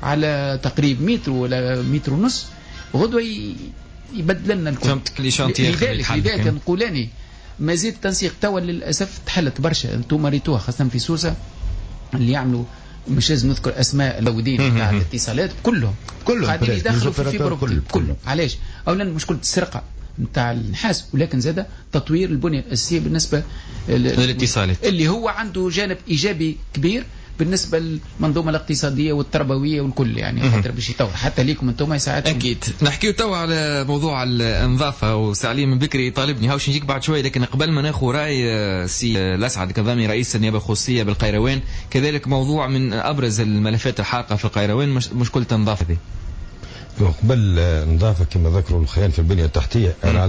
على تقريب متر ولا متر ونص، غدوه يبدل لنا الكل. فهمتك les chantiers. لذلك نقول اني مزيد تنسيق. توا للاسف تحلت برشا، انتم ريتوها خاصة في سوسة اللي يعملوا، مش لازم نذكر اسماء المودين تاع الاتصالات، كلهم قاعدين يدخلوا في fibre optique كلهم. علاش؟ اولا مشكلة السرقة نتاع النحاس، ولكن زاد تطوير البنية الاساسية بالنسبة للاتصالات اللي هو عنده جانب ايجابي كبير بالنسبة للمنظومة الاقتصادية والتربوية والكل، يعني خاطر باش يطور حتى ليكم انتم يساعدكم. اكيد نحكيو توا على موضوع النظافة، وسي من بكري طالبني هاوش نجيك بعد شوية، لكن قبل ما ناخذ راي سي الاسعد كظامي رئيس النيابة الخصوصية بالقيروان، كذلك موضوع من ابرز الملفات الحارقه في القيروان مشكلة النظافة دي. قبل النظافة كما ذكروا الخيال في البنية التحتية، انا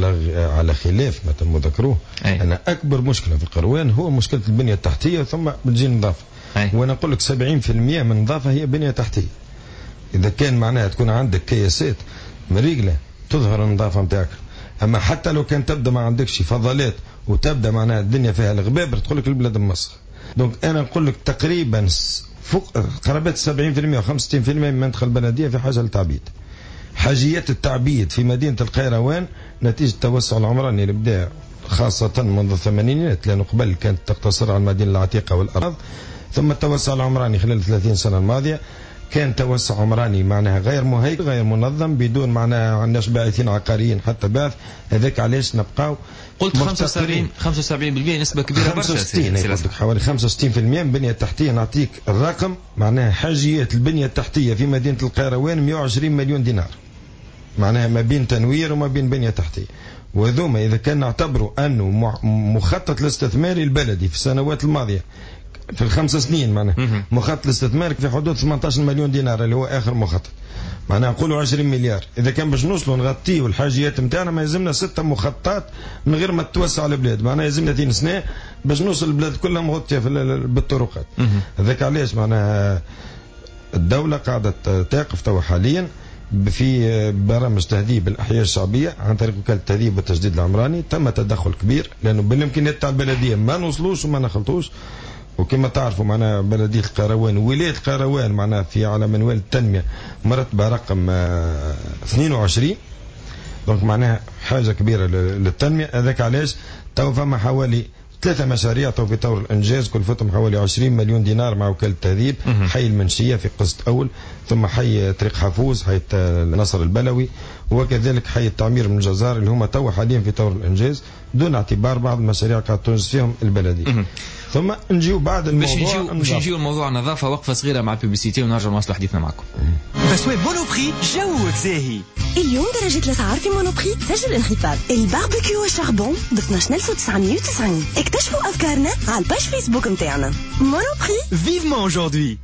على خلاف ما تم ذكروه، انا اكبر مشكلة في القروان هو مشكلة البنية التحتية، ثم بتجي النظافة. وانا نقول لك 70% من النظافة هي بنيه تحتيه. اذا كان معناها تكون عندك كياسات مريقله تظهر النظافة نتاعك، اما حتى لو كان تبدا ما عندكش فضلات وتبدا معناها الدنيا فيها الغبابر تقول لك البلاد مسخ. donc انا نقول لك تقريبا فوق قرابة 70% و 65% من المنطقة البلدية في حاجة للتعبيد. حاجيات التعبيد في مدينة القيروان نتيجة التوسع العمراني اللي بدا خاصة منذ الثمانينات، لانه قبل كانت تقتصر على المدينة العتيقة والارض، ثم التوسع العمراني خلال 30 سنة الماضية كان توسع عمراني معناها غير مهيكل غير منظم، بدون معناها عندناش باعثين عقاريين حتى باعث. هذاك علاش نبقاو قلت 75% نسبة كبيرة برشا، 65 حوالي 65% من البنية التحتية. نعطيك الرقم معناها حاجيات البنية التحتية في مدينة القيروان 120 مليون دينار، معناها ما بين تنوير وما بين بنية تحتية. وذوما إذا كان نعتبروا أنه مخطط الاستثماري البلدي في السنوات الماضية في الخمس سنين معناها مخطط الاستثمار في حدود 18 مليون دينار اللي هو اخر مخطط، معناها نقولوا 20 مليار. اذا كان باش نوصلوا نغطيوا الحاجيات نتاعنا ما يلزمنا 6 مخططات من غير ما تتوسع البلاد، معناها يلزمنا 30 سنة باش نوصل البلاد كلها مغطيه بالطرقات. هذاك علاش معناها الدولة قاعدة تقف توا حاليا في برامج تهذيب الاحياء الشعبية عن طريق وكالة التهذيب والتجديد العمراني. تم تدخل كبير لانه بالامكانيات تاع البلدية ما نوصلوش وما نخلطوش، وكما تعرفوا معناها بلدية القيروان ولاية القيروان معناها في على منوال التنمية مرتبة رقم 22، donc معناها حاجة كبيرة للتنمية. هذاك علاش تو فما حوالي 3 مشاريع تو في طور الإنجاز كلفتهم حوالي 20 مليون دينار مع وكالة التهذيب، حي المنشية في قسط أول، ثم حي طريق حفوز، حي نصر البلوي، وكذلك حي التعمير من الجزار اللي هما تو حاليا في طور الإنجاز، دون اعتبار بعض المشاريع قاعدة تنجز فيهم البلدية. ثم نجيو بعد الموضوع باش نجيو الموضوع النظافة، وقفة صغيرة مع ال publicité ونرجع نواصل حديثنا معكم. أسوام Monoprix جوك زاهي. اليوم درجة الأسعار في Monoprix تسجل انخفاض. ال barbecue charbon ب 12990. اكتشفوا أفكارنا على ال page Facebook نتاعنا. Monoprix vivement aujourd'hui.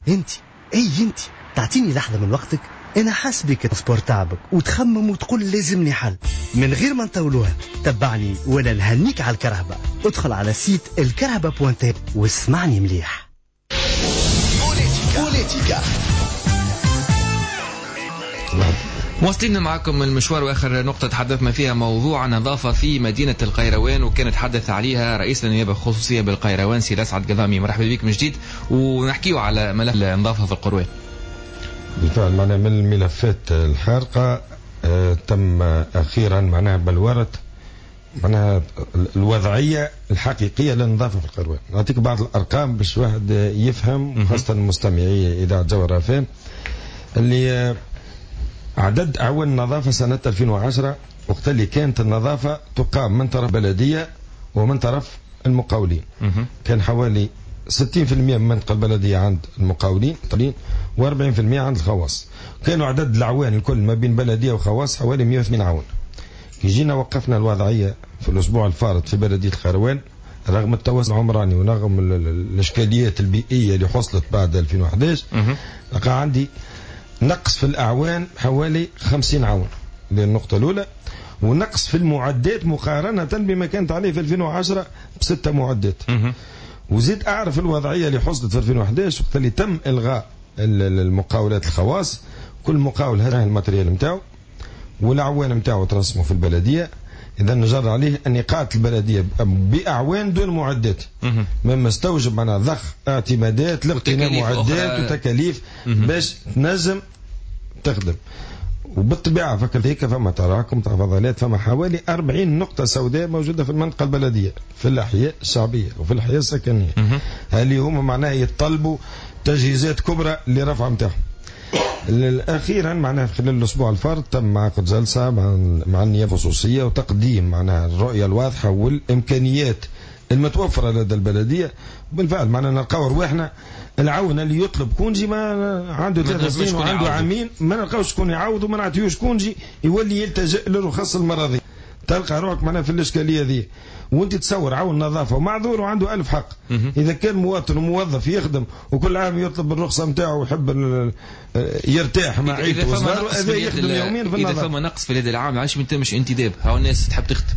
انت اي انت تعطيني لحظة من وقتك، انا حاسبك transport تعبك وتخمم وتقول لازمني حل من غير ما نطولوها. تبعني ولا نهنيك على الكرهبة. ادخل على site الكرهبة point tn واسمعني مليح. بوليتيكا واصلين معكم المشوار، واخر نقطة تحدثنا فيها موضوع النظافة في مدينة القيروان، وكان تحدث عليها رئيس النيابة الخصوصية بالقيروان سي الاسعد قضامي. مرحبا بك من جديد، ونحكيو على ملف النظافة في القروان. بالفعل معناها من الملفات الحارقة تم أخيرا معناها بلورة معناها الوضعية الحقيقية للنظافة في القروان. نعطيك بعض الأرقام باش واحد يفهم، خاصة المستمعي إذاعة جوهرة FM، اللي عدد أعوان النظافة سنة 2010 وقت اللي كانت النظافة تقام من طرف بلدية ومن طرف المقاولين، كان حوالي 60% من المنطقة البلدية عند المقاولين و40% عند الخواص. كانوا عدد الأعوان الكل ما بين بلدية وخواص حوالي 102 عون. كي جينا وقفنا الوضعية في الأسبوع الفارط في بلدية القيروان، رغم التوسع العمراني ورغم الإشكاليات البيئية اللي حصلت بعد 2011، لقى عندي نقص في الأعوان حوالي 50 عون، هذه النقطة الأولى، ونقص في المعدات مقارنة بما كانت عليه في 2010 ب6 معدات. وزيد أعرف الوضعية اللي حصلت في 2011 وقت اللي تم إلغاء المقاولات الخواص، كل مقاول هذا ال matériel نتاعو والأعوان نتاعو ترسموا في البلدية. اذا نجر عليه ان قاعدة البلدية باعوان دون معدات، مما استوجب معناها ضخ اعتمادات لاقتناء معدات وتكاليف باش تنجم تخدم. وبالطبيعه فكرت هيك فما تراكم تاع فضلات، فما حوالي 40 نقطة سوداء موجودة في المنطقة البلدية في الاحياء الشعبية وفي الاحياء السكنية، اللي هما معناها يتطلبوا تجهيزات كبرى لرفع نتاعهم. اخيرا معناها خلال الاسبوع الفارط تم عقد جلسه مع النيابة الخصوصية وتقديم معناها الرؤية الواضحة والامكانيات المتوفرة لدى البلدية. بالفعل معناها نلقاو رواحنا العون اللي يطلب congé ما عنده 3 سنين وعنده عامين، ما نلقاوش شكون يعوض وما نعطيوش congé، يولي يلتجئ للرخص المرضية. تلقى روحك معناها في الاشكالية ذي، وانت تصور عون نظافة ومعذور وعنده 1000 حق. اذا كان مواطن وموظف يخدم وكل عام يطلب الرخصة نتاعو ويحب يرتاح مع عيلته وصغاره، هذا يخدم يوميا في النظافة. اذا فما نقص في اليد العام علاش ما يتمش انتداب؟ هاو الناس تحب تخدم.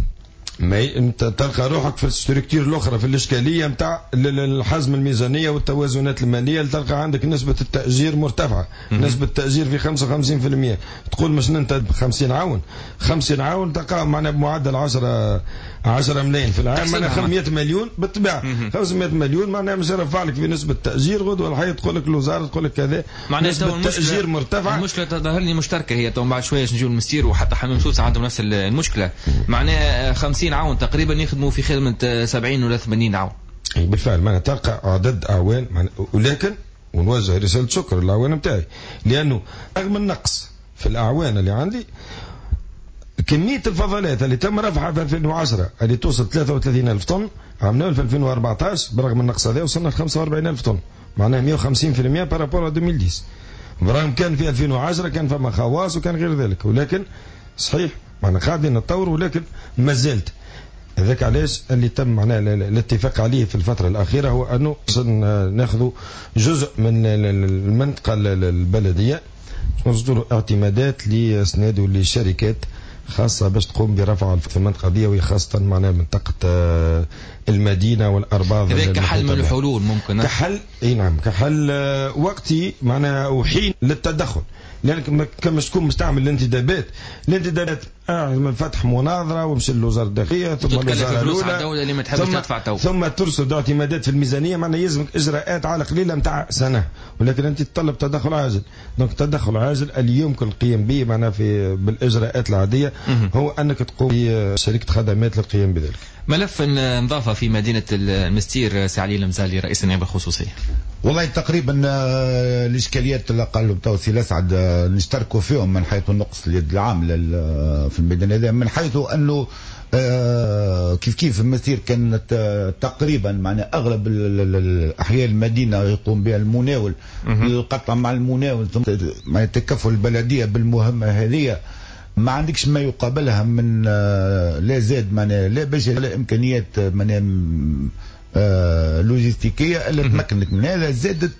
ما انت تلقى روحك في ال structure الاخرى في الاشكالية نتاع الحزم الميزانية والتوازنات المالية، تلقى عندك نسبه التاجير مرتفعة، نسبه التاجير في 55%، تقول مش ننتدب 50 عون، 50 عون تلقى معنا بمعدل 10 ملايين في العام، معناها 500 مليون بالطبيعة، 500 مليون معناها مش يرفع لك في نسبه التاجير غدوه الحي تقول لك الوزارة تقول لك كذا، نسبه التاجير مرتفعة. المشكلة تظهر لي مشتركة هي، تو بعد شوية نجيو المستير وحتى حمام سوسة عندهم نفس المشكلة، معناها 50 عون تقريبا يخدموا في خدمة 70 ولا 80 عون. بالفعل معناها تلقى عدد اعوان، ولكن ونوجه رسالة شكر للاعوان نتاعي، لانه رغم النقص في الاعوان اللي عندي، كمية الفضلات اللي تم رفعها في 2010 اللي توصل 33,000 طن، عملناها في 2014 برغم النقص هذا وصلنا ل 45,000 طن، معناها 150% par rapport 2010. برغم كان في 2010 كان فما خواص وكان غير ذلك، ولكن صحيح معناها قاعدين نتطور، ولكن ما زلت. هذاك علاش اللي تم معناها الاتفاق عليه في الفترة الأخيرة هو أنه ناخذ جزء من المنطقة البلدية نصدروا اعتمادات لأسناد ولشركات خاصة باش تقوم برفع في المنطقة دي، وخاصة معناها منطقة المدينة والأرباض. هذا كحل من الحلول ممكن، كحل، اي نعم، كحل وقتي معناها وحين للتدخل، لأنك كما تكون مستعمل الانتدابات، الانتدابات من فتح مناظرة ومشي للوزارة الداخلية ثم الوزارة الأولى اللي ما تحبش تدفع تو، ثم ترصد اعتمادات في الميزانية، معناها يلزمك إجراءات على قليلة نتاع سنة، ولكن أنت تطلب تدخل عاجل. donc التدخل العاجل اللي يمكن القيام به معناها في بالإجراءات العادية هو أنك تقوم بشركة خدمات للقيام بذلك. ملف النظافة في مدينة المستير، سي علي المزالي رئيس النيابة الخصوصية. والله تقريبا الإشكاليات اللي قالوا تو سي الأسعد نشتركوا فيهم من حيث النقص اليد العام في الميدان هذا، من حيث أنه كيف كيف المسير كانت تقريبا معنا أغلب الأحياء المدينة يقوم بها المناول، القطع مع المناول ثم تكفل البلدية بالمهمة هذه، ما عندكش ما يقابلها من لا زاد معنا لا بشر لا إمكانيات معنا لوجستيكية اللي تمكنك من هذا. زادت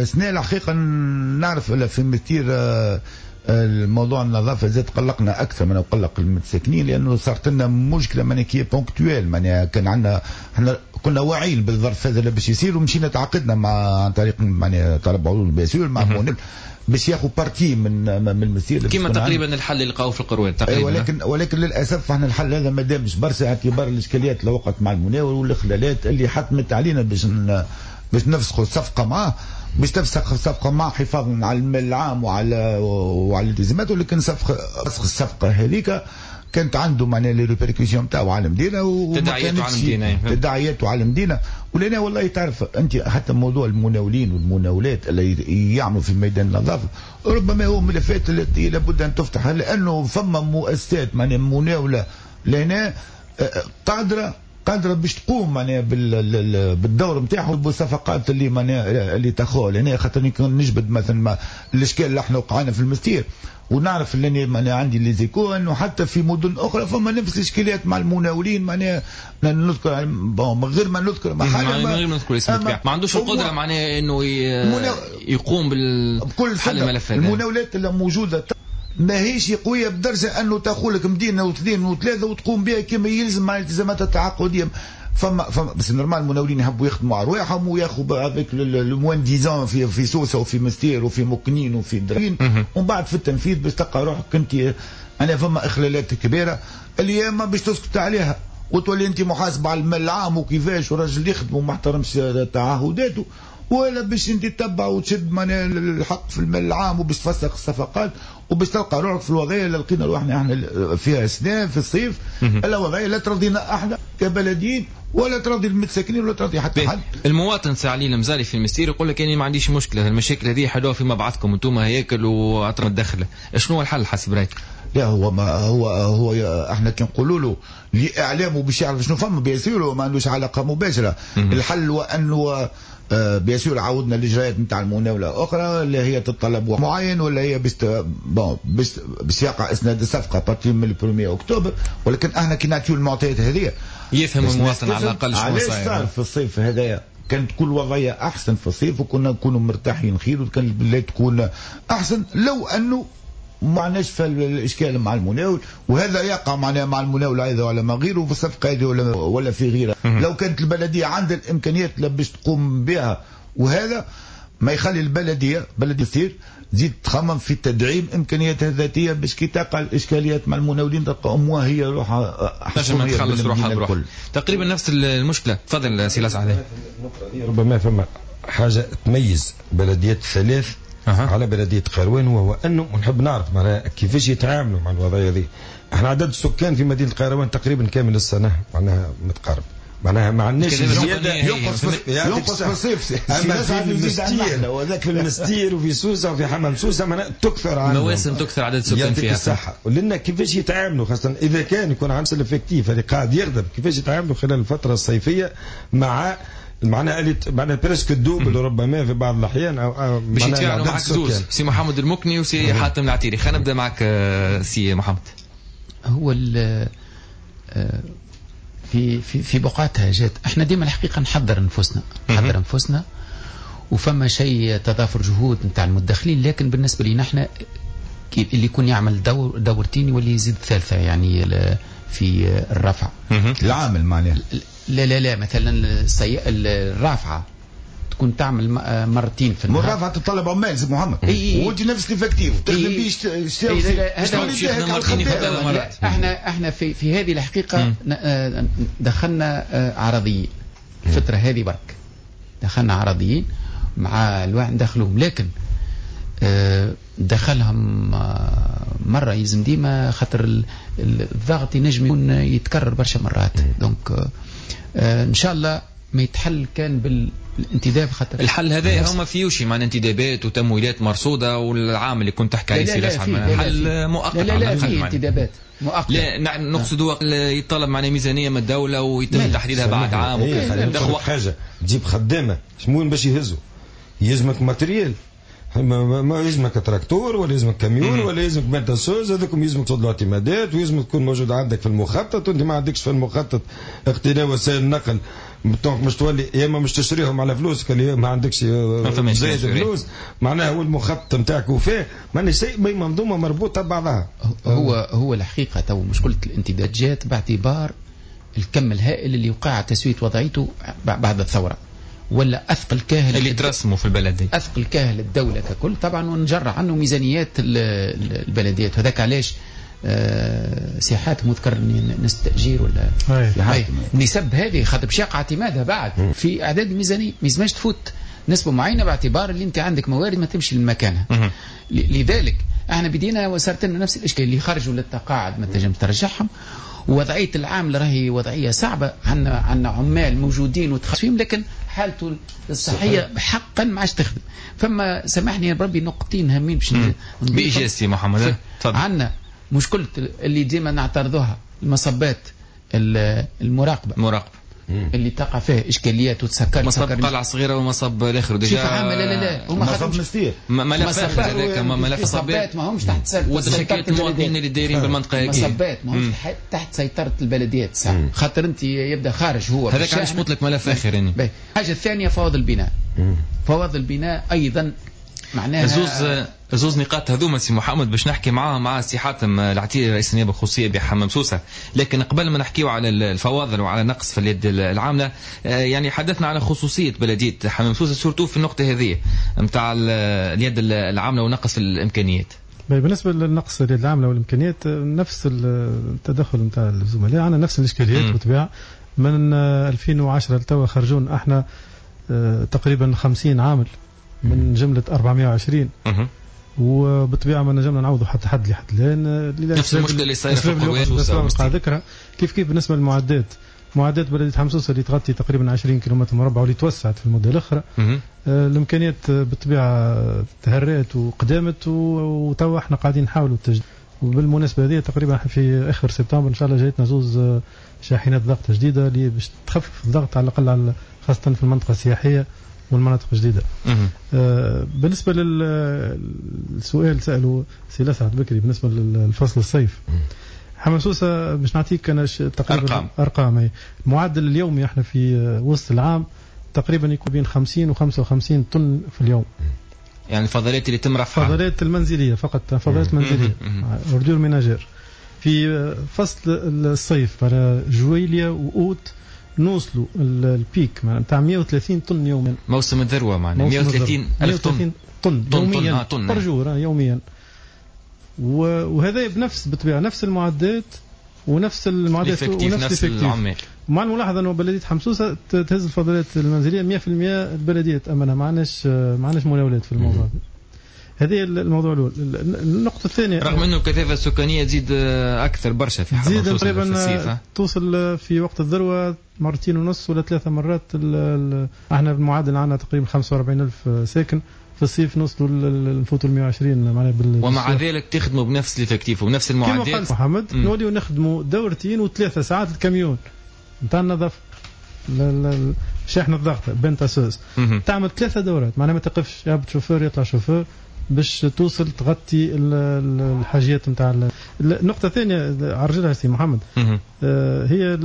سنة الحقيقة نعرف في المسير الموضوع النظافة زاد قلقنا أكثر من قلق المتساكنين، لأنه صارت لنا مشكلة معناها qui est ponctuelle، معناها كان عندنا احنا كنا واعيين بالظرف هذا اللي باش يصير، ومشينا تعاقدنا مع عن طريق معناها طلب عروض باسيول مع مونيل باش ياخذ partie من المسير كما تقريبا الحل اللي لقاوه في القروان تقريبا. ولكن للاسف احنا الحل هذا ما دامش برشا، اعتبار الاشكاليات اللي وقعت مع المناول والاخلالات اللي حتمت علينا باش نفسخوا الصفقة معاه، باش تفسخ الصفقة معاه حفاظا على المال العام وعلى الالتزامات، ولكن فسخ الصفقة هذيك كانت عنده معناها les répercussions تاعو على المدينة، تداعياته على المدينة. ولنا والله تعرف انت حتى موضوع المناولين والمناولات اللي يعملوا في ميدان النظافة ربما هو ملفات التي لابد ان تفتح، لانه فما مؤسسات معناها مناوله لهنا قادرة باش تقوم معناها بالدور نتاعهم بالصفقات اللي معناها اللي تاخوها لهنا. خاطر نجبد مثلا الاشكال اللي احنا وقعنا في المستير، ونعرف اللي معناها عندي les échos انه حتى في مدن اخرى فما نفس الاشكاليات مع المناولين، معناها نذكر من غير ما نذكر من غير ما نذكر اسم، ما عندوش القدرة معناها انه يقوم بكل حل الملف هذا. المناولات اللي موجودة ماهيش قوية بدرجة انه تاخذ لك مدينة واثنين وثلاثة وتقوم بها كما يلزم مع الالتزامات التعاقديه. فما بس normal المناولين يحبوا يخدموا على رواحهم وياخذوا avec le moins-disant في سوسة وفي مستير وفي مكنين وفي درين، ومن بعد في التنفيذ باش تلقى روحك انت انا فما اخلالات كبيرة اللي ما باش تسكت عليها وتولي انت محاسب على المال العام وكيفاش وراجل يخدم وما احترمش تعهداته، ولا باش انت تتبع وتشد معناها الحق في المال العام وباش تفسخ الصفقات وباش تلقى روحك في الوضعية اللي لقينا روحنا احنا فيها سنة في الصيف، الوضعية لا ترضينا احنا كبلديين ولا ترضي المتساكنين ولا ترضي حتى حد. المواطن سي علي المزاري في المستير يقول لك اني ما عنديش مشكلة، المشاكل هذه حلوها فيما بعضكم انتم هياكل واطرم الدخلة، شنو الحل حسب رايك؟ لا هو ما هو هو احنا كي نقولوا له لاعلامه باش يعرف شنو فما bien sûr ما عندوش علاقة مباشرة. الحل هو انه bien sûr عاودنا الاجراءات نتاع المناوله اخرى اللي هي تتطلب معين ولا هي باش bon باش يقع اسناد الصفقة à partir من 1 اكتوبر، ولكن احنا كي نعطيو المعطيات هذه يفهم المواطن على الاقل شنو صاير. صار في الصيف هذايا كانت كل وضعية احسن في الصيف وكنا نكونوا مرتاحين خير وكان البلاد تكون احسن لو انه ما عندناش في الاشكال مع المناول، وهذا يقع معناها مع المناول ايضا ولا ما غيره في الصفقة هذه ولا في غيرها. لو كانت البلدية عندها الامكانيات باش تقوم بها، وهذا ما يخلي البلدية بلديه تصير تزيد تخمم في تدعيم امكانياتها الذاتية باش كي تقع الاشكاليات مع المناولين تلقى امها هي روحها تنجم تخلص روحها بروحها. تقريبا نفس المشكلة. تفضل سي لاسعد. ربما فما حاجة تميز بلديات الثلاث على بلدية قيروان، وهو أنه نحب نعرف معناها كيفاش يتعاملوا مع الوضعية هذه. احنا عدد السكان في مدينة قيروان تقريبا كامل السنة معناها متقارب، معناها ما عندناش زيادة ينقص في الصيف. أما في المستير وفي سوسة وفي حمام سوسة معناها تكثر عندهم مواسم تكثر عدد السكان فيها. الصحة ولنا كيفاش يتعاملوا خاصة إذا كان يكون عندهم ال effectif اللي قاعد يخدم، كيفاش يتعاملوا خلال الفترة الصيفية مع معناها معناها presque ال double ربما في بعض الاحيان او باش يتفاعلوا معك زوز سي محمد المكني وسي حاتم العتيري. خلينا نبدا معك سي محمد. هو في في في بقعتها جات احنا ديما الحقيقة نحضر انفسنا، نحضر انفسنا وفما شيء تضافر جهود نتاع المدخلين، لكن بالنسبة لنا احنا اللي يكون يعمل دور دورتين واللي يزيد ثالثة يعني في الرفع العامل معناها. لا لا لا، مثلا الرافعه تكون تعمل مرتين في النهار. الرافعه تتطلب عمال سي محمد، وانت نفس l'effectif تخدم بيه. احنا في هذه الحقيقة دخلنا عرضيين الفترة هذه برك، دخلنا عرضيين مع الواحد ندخلوهم، لكن دخلهم مرة يلزم ديما خاطر الضغط ينجم يكون يتكرر برشا مرات. donc ان شاء الله ما يتحل كان بالانتداب، خاطر الحل هذا هما فيوشي مع انتدابات وتمويلات مرصوده والعام اللي كنت تحكي عليه سي لاسعد حل مؤقت. لا لا لا، فيه انتدابات مؤقتة. لا نقصد يطلب معنا ميزانية من الدولة ويتم تحديدها بعد عام. حاجة تجيب خدامه شمون باش يهزوا، يلزمك matériel، ما يلزمك تراكتور ولا يلزمك كاميون ولا يلزمك benne tasseuse، هذوكم يلزمك تصد اعتمادات ويلزمك تكون موجود عندك في المخطط، وانت ما عندكش في المخطط اقتناء وسائل النقل، donc مش تولي يا اما مش تشتريهم على فلوسك اللي ما عندكش زايد فلوس، معناها هو المخطط نتاعك وفاه، معناها شيء منظومة مربوطة ببعضها. هو الحقيقة تو مشكلة الانتداب جات باعتبار الكم الهائل اللي وقع تسويه وضعيته بعد الثورة، ولا اثقل كاهل اللي ترسموا في البلدية، اثقل كاهل الدولة ككل طبعا، ونجر عنه ميزانيات البلديات. هذاك علاش سي حاتم ذكر نسبه تاجير ولا النسب هذه خاطر باش يقع اعتمادها بعد في اعداد الميزانية، ما يلزمش تفوت نسبه معينة باعتبار اللي انت عندك موارد ما تمشي لمكانها. لذلك احنا بدينا وصارت لنا نفس الاشكال، اللي خرجوا للتقاعد ما تنجم ترجعهم، وضعية العامل راهي وضعية صعبة، عندنا عمال موجودين وتخصصين لكن حالته الصحية حقا ما عادش تخدم. فما سامحني يا ربي نقطتين هامين باش بإيجاز سي محمد. عندنا مشكلة اللي ديما نعترضوها، المصبات المراقبة اللي تقع فيها اشكاليات وتسكر، مصب قلعه صغيرة ومصب الاخر déjà لا لا لا، مصب مستير، ملف هذاك ملف مصبات ما همش تحت سيطرة وتشكيلات المواطنين اللي دايرين بالمنطقة هذيك، مصبات ما همش تحت سيطرة البلديات ساعة، خاطر انت يبدا خارج هو هذاك علاش قلت لك ملف اخر يعني. الحاجة الثانية فوضى البناء، فوضى البناء ايضا معناها زوز نقاط هذوما سي محمد باش نحكي معاه مع سي حاتم العتيري رئيس النيابة الخصوصية بحمام سوسة، لكن قبل ما نحكيو على الفواضل وعلى نقص في اليد العاملة، يعني حدثنا على خصوصية بلديه حمام سوسة surtout في النقطة هذه نتاع اليد العاملة ونقص في الامكانيات. بالنسبة للنقص اليد العاملة والامكانيات، نفس التدخل نتاع الزملاء، عندنا نفس الاشكاليات بالطبيعة. من 2010 لتوا خرجون احنا تقريبا 50 عامل من جملة 420، وبالطبيعه ما نجمنا نعوضوا حتى حد لحد الان. نفس المشكلة اللي صايرة في القروان. ذكرها كيف كيف بالنسبة للمعدات، معدات بلديه حمام سوسة اللي تغطي تقريبا 20 كيلومتر مربع واللي توسعت في المدة الاخرى. الامكانيات بالطبيعة تهرات وقدامت، وتوا احنا قاعدين نحاولوا التجديد. وبالمناسبة هذه تقريبا في اخر سبتمبر ان شاء الله جايتنا زوز شاحنات ضغط جديدة اللي باش تخفف الضغط على الاقل، خاصة في المنطقة السياحية والمناطق الجديدة. بالنسبة للسؤال ساله سي لسعد بكري بالنسبة للفصل الصيف، حمام سوسة باش نعطيك انا تقريبا ارقام. المعدل اليومي احنا في وسط العام تقريبا يكون بين 50 و 55 طن في اليوم. يعني الفضلات اللي تم رفعها، الفضلات المنزلية فقط، فضلات منزلية ordures ménagères. في فصل الصيف على جويليا واوت نوصلوا ال pic نتاع 130 طن يوميا. موسم الذروة معنا 130 الف طن طن يوميا، طن par jour يوميا. وهذا بنفس بالطبيعة نفس المعدات ونفس المعدات ونفس العمال. مع الملاحظة انه بلديه حمام سوسة تهز الفضلات المنزلية 100% البلدية تامنها، ما عندناش مناولات في الموضوع. هذه الموضوع الاول. النقطة الثانية، رغم انه الكثافة السكانية تزيد اكثر برشا في حمام سوسة، تزيد تقريبا توصل في وقت الذروة 2.5 مرات ولا 3 مرات. احنا بالمعادل عندنا تقريبا 45,000 ساكن، في الصيف نوصلوا نفوتوا 120 معناها. ومع ذلك تخدموا بنفس ال effectif وبنفس المعدات. كما قال محمد، نوليو نخدموا دورتين و3 ساعات الكاميون نتاع النظافة، شاحنة الضغط benne tasseuse تعمل 3 دورات، معناها ما تقفش، يهبط شوفور يطلع شوفور باش توصل تغطي الحاجيات نتاع. النقطة الثانية عرجلها سي محمد، هي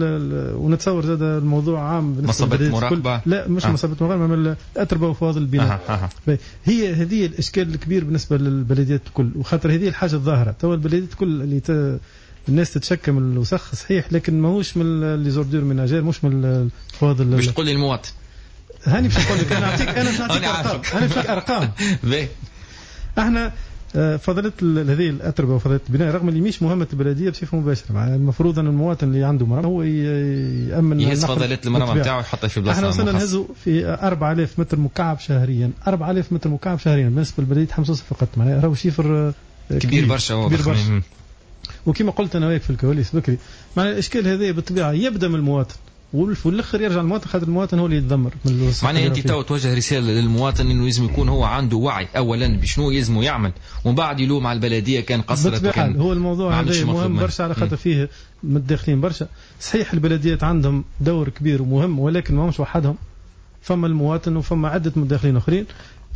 ونتصور زاد الموضوع عام بالنسبة للمراقبة. لا مش مصابة المراقبة، من الأتربة وفواضل البناء. هي هذه الإشكال الكبير بالنسبة للبلديات الكل، وخاطر هذه الحاجة الظاهرة توا البلديات الكل اللي الناس تتشكى من الوسخ صحيح، لكن ماهوش من les ordures ménagères، مش من الفواضل. باش تقول لي المواطن هاني باش نقول لك، انا نعطيك ارقام، انا باش نعطيك ارقام. احنا فضلت هذه الاتربه وفضلت البناء رغم اللي مش مهمة البلدية بصفة مباشرة، معناها المفروض ان المواطن اللي عنده مرمى هو يامن يهز فضلات المرمى نتاعو ويحطها في بلاصة. احنا وصلنا نهزوا في 4000 متر مكعب شهريا، 4000 متر مكعب شهريا بالنسبة لبلديه حمام سوسة فقط، معناها راهو chiffre كبير برشا، كبير برشا. وكما قلت انا وياك في الكواليس بكري، معناها الاشكال هذا بالطبيعة يبدا من المواطن وفي الاخر يرجع المواطن، خاطر المواطن هو اللي يتدمر. معناها انت تو توجه رسالة للمواطن انه لازم يكون هو عنده وعي اولا بشنو يلزمه يعمل، ومن بعد يلوم على البلدية كان قصرت. وكان هو الموضوع هذا مهم برشا على خاطر فيه متداخلين برشا. صحيح البلديات عندهم دور كبير ومهم، ولكن ماهمش وحدهم، فما المواطن وفما عده متداخلين اخرين.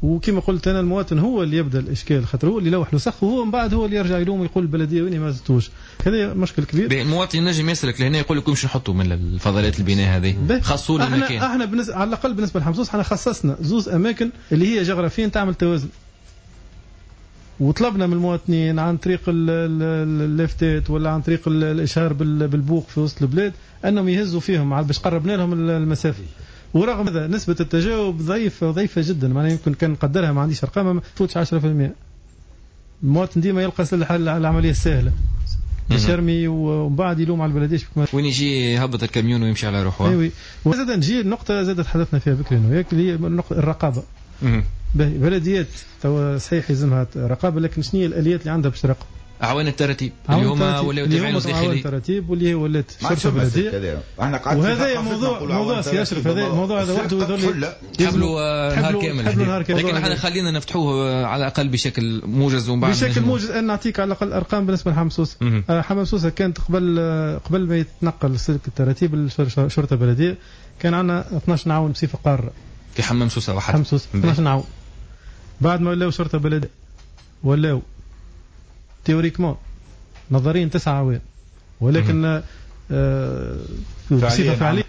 وكما قلت انا المواطن هو اللي يبدا الاشكال، خاطر هو اللي يلوح الوسخ، وهو من بعد هو اللي يرجع يلوم ويقول البلدية وين ما زدتوش. هذا مشكل كبير. المواطن ينجم يسلك لهنا يقول لكم باش نحطوا من الفضلات البناء هذه، خصوا له مكان. احنا على الاقل بالنسبة لحمام سوسة احنا خصصنا زوز اماكن اللي هي جغرافيا تعمل توازن، وطلبنا من المواطنين عن طريق اللافتات ولا عن طريق الاشهار بالبوق في وسط البلاد انهم يهزوا فيهم باش قربنا لهم المسافة. ورغم هذا نسبة التجاوب ضعيفة ضعيفة جدا، معناها يمكن كان نقدرها ما عنديش ارقام ما تفوتش 10%. المواطن ديما يلقى العملية السهلة باش يرمي ومن بعد يلوم على البلدية. وين يجي يهبط الكاميون ويمشي على روحه. اي oui. وزاد نجي النقطة زاد تحدثنا فيها بكري انا وياك اللي هي الرقابة. بلديات توا صحيح يلزمها رقابة، لكن شنو هي الآليات اللي عندها باش تراقب؟ أعوان التراتيب اللي هما ولاو تابعين الداخلية، أعوان التراتيب واللي هي ولات شرطة بلدية. وهذا موضوع سي أشرف، هذا الموضوع هذا وحده يظل تحبلوا نهار كامل، لكن احنا خلينا نفتحوه على الأقل بشكل موجز ومن بعد بشكل موجز. أنا نعطيك على الأقل أرقام بالنسبة لحمام سوسة. حمام سوسة كانت قبل ما يتنقل سلك التراتيب للشرطة البلدية كان عندنا 12 عون بصفة قارة في حمام سوسة وحده. حمام سوسة 12 عون. بعد ما ولاو شرطة بلدية ولاو théoriquement نظريا 9 عوام، ولكن بصفة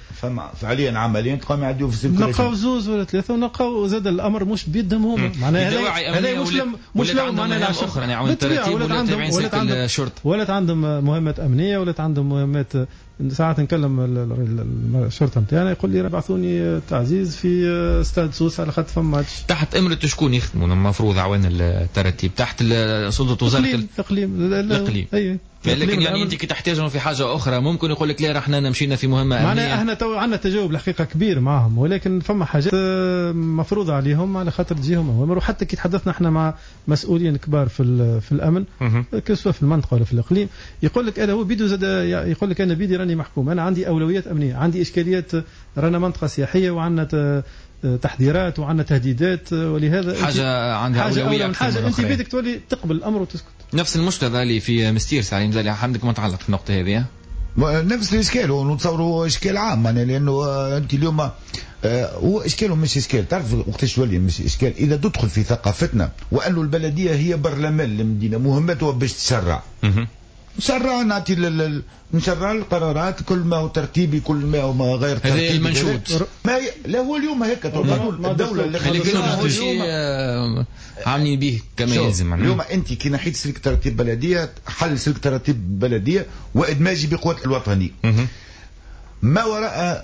فعليا عمليا تقام يعديو في السلك نلقاو زوز ولا ثلاثة، ونلقاو زاد الامر مش بيدهم هما. معناها هذا مش لو معناها اخرى يعني عون التراتيب ولا تابعين سلك الشرطة، ولات عندهم مهمات امنية، ولات عندهم مهمات ساعات نكلم الشرطة نتاعنا يقول لي بعثوني تعزيز في استاد سوسة على خاطر فما ماتش. تحت امره شكون يخدموا المفروض عوان الترتيب؟ تحت سلطة وزارة الاقليم. الاقليم اي. لكن يعني انت كي تحتاجهم في حاجة اخرى ممكن يقول لك لا رحنا مشينا في مهمة امنية. معناها احنا تو عندنا تجاوب الحقيقة كبير معهم، ولكن فما حاجات مفروضة عليهم على خاطر تجيهم اوامر. وحتى كي تحدثنا احنا مع مسؤولين كبار في الامن que ce soit في المنطقة ولا في الاقليم، يقول لك انا هو بيدو زاد يقول لك انا بيدي راني محكوم، انا عندي اولويات امنية، عندي اشكاليات، رانا منطقة سياحية وعندنا تحذيرات وعندنا تهديدات، ولهذا حاجة عندها اولوية اكثر حاجة. انت بيدك تولي تقبل الامر وتسكت. نفس المشكلة اللي في مستير سعيد مزالي، عندك ما تعلق في النقطة هذه؟ نفس الاشكال، ونتصوروا اشكال عام يعني، لانه انت اليوم هو اشكال ومش اشكال. تعرف وقتاش تولي مش اشكال؟ اذا تدخل في ثقافتنا وانه البلدية هي برلمان المدينة، مهمتها باش تشرع. نشرع، نعطي نشرع القرارات، كل ما هو ترتيبي كل ما هو غير ترتيبي. هذا المنشود. ما لا هو اليوم هيك الدولة اللي عاملين به كما يلزم. اليوم انت كي نحيت سلك ترتيب بلديه، حل سلك ترتيب بلديه وادماجي بقوة الوطني. ما وراء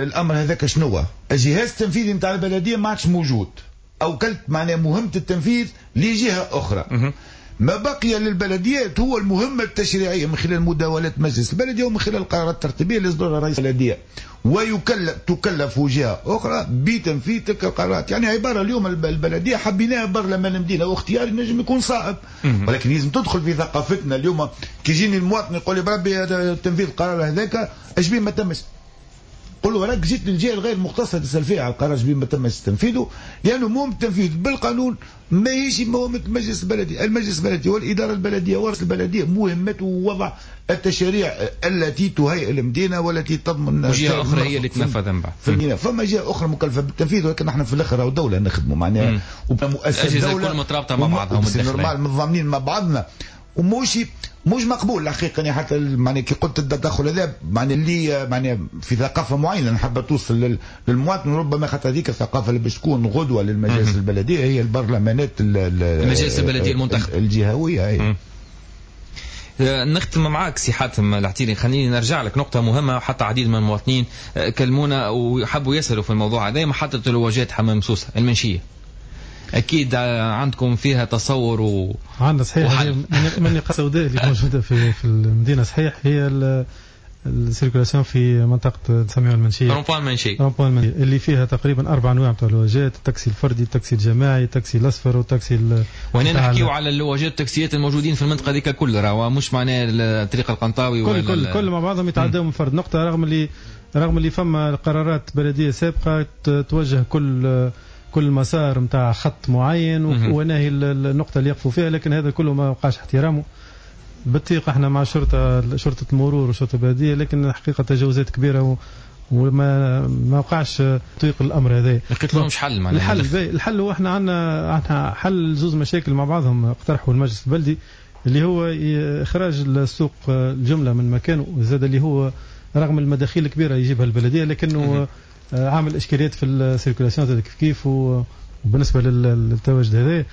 الامر هذاك شنو؟ الجهاز التنفيذي نتاع البلدية ما عادش موجود، اوكلت معناها مهمة التنفيذ لجهة اخرى. ما بقي للبلديات هو المهمة التشريعية من خلال مداولات مجلس البلدية ومن خلال القرارات الترتيبية اللي يصدرها رئيس البلدية، ويكلف جهة أخرى بتنفيذ تلك القرارات. يعني عبارة اليوم البلدية حبيناها برلمان المدينة، واختيار نجم يكون صائب، ولكن لازم تدخل في ثقافتنا. اليوم كي يجيني المواطن يقول لي بربي تنفيذ القرار هذاك اش بيه ما تمش، قل له راك جيت للجهة الغير مختصة تسال فيها على القرار ما تمش تنفيذه، لانه مهم التنفيذ بالقانون ماهيش مهمة المجلس البلدي. المجلس البلدي والادارة البلدية ورئيس البلدية مهمته وضع التشاريع التي تهيئ المدينة والتي تضمن، وجهه اخرى هي اللي تنفذ من بعد. في المدينة فما جهة اخرى مكلفة بالتنفيذ، ولكن نحن في الاخر دولة نخدموا معناها ومؤسسة دولة الكل مترابطة مع بعضها، normal متضامنين مع بعضنا، ومش مش مقبول الحقيقة. يعني حتى معني كي قلت التدخل هذا معني اللي معني في ثقافة معينة نحب توصل للمواطن، ربما خاطر هذيك الثقافة اللي باش تكون غدوه للمجالس البلدية هي البرلمانات المجالس البلدية المنتخبه الجهوية. هي. نختم معاك سي حاتم العتيري، خليني نرجع لك نقطة مهمة، حتى عديد من المواطنين كلمونا وحبوا يسألوا في الموضوع هذا، محطة الواجهات حمام سوسة المنشيه، اكيد عندكم فيها تصور عندنا صحيح من النقاط السوداء اللي موجودة في المدينة، صحيح هي ال circulation في منطقة نسميها المنشيه، rond-point المنشيه، rond-point المنشيه اللي فيها تقريبا 4 انواع تاع اللواجات، التاكسي الفردي، التاكسي الجماعي، التاكسي الاصفر، والتاكسي وهنا نحكيو على اللواجات التاكسيات الموجودين في المنطقة هذيك كل، راهو مش معناه الطريق القنطاوي كل كل مع بعضهم يتعداو من فرد نقطة، رغم اللي فما قرارات بلديه سابقه توجه كل مسار نتاع خط معين وناهي النقطة اللي يقفوا فيها، لكن هذا كله ما وقعش احترامه. بالطيق احنا مع شرطة المرور وشرطة البلدية، لكن الحقيقة تجاوزات كبيرة وما ما وقعش تطبيق الأمر هذا. لقيت لهمش حل معناها؟ الحل هو احنا عندنا حل زوز مشاكل مع بعضهم اقترحوا المجلس البلدي، اللي هو إخراج السوق الجملة من مكانه، زاد اللي هو رغم المداخيل الكبيرة يجيبها البلدية، لكنه عامل اشكاليات في ال circulation زاد كيف كيف، وبالنسبة للتواجد هذا.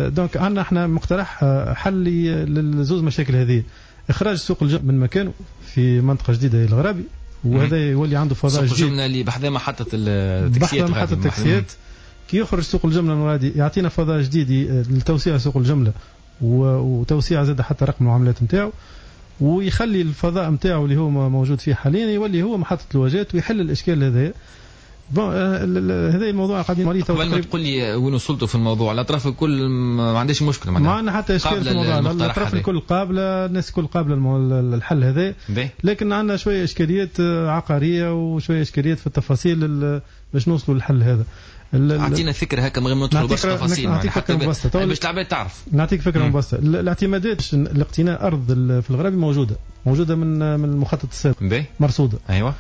donc عندنا احنا مقترح حل للزوز مشاكل هذه، اخراج سوق الجملة من مكانه في منطقة جديدة الغرابي، وهذا يولي عنده فضاء جديد. سوق الجملة اللي بحذا محطة التاكسيات، بحذا محطة التاكسيات، كي يخرج سوق الجملة من غادي يعطينا فضاء جديد لتوسيع سوق الجملة وتوسيع زاد حتى رقم المعاملات نتاعو، ويخلي الفضاء نتاعو اللي هو موجود فيه حاليا يولي هو محطة الواجهات ويحل الاشكال هذا. bon هذا الموضوع قاعدين عليه. قبل ما تقول لي وين وصلتوا في الموضوع، الاطراف الكل ما عندهاش مشكلة معناها، ما عندنا حتى اشكال في الموضوع، الاطراف الكل قابله، الناس الكل قابله الحل هذا، لكن عندنا شوية اشكاليات عقارية وشوية اشكاليات في التفاصيل باش نوصلوا للحل هذا. اعطينا فكرة هكا من غير ما ندخلوا برشا تفاصيل، نعطيك فكرة مبسطة باش العباد تعرف. نعطيك فكرة مبسطة، الاعتمادات لاقتناء ارض في الغرابي موجودة من المخطط السابق، مرصوده. ايوه.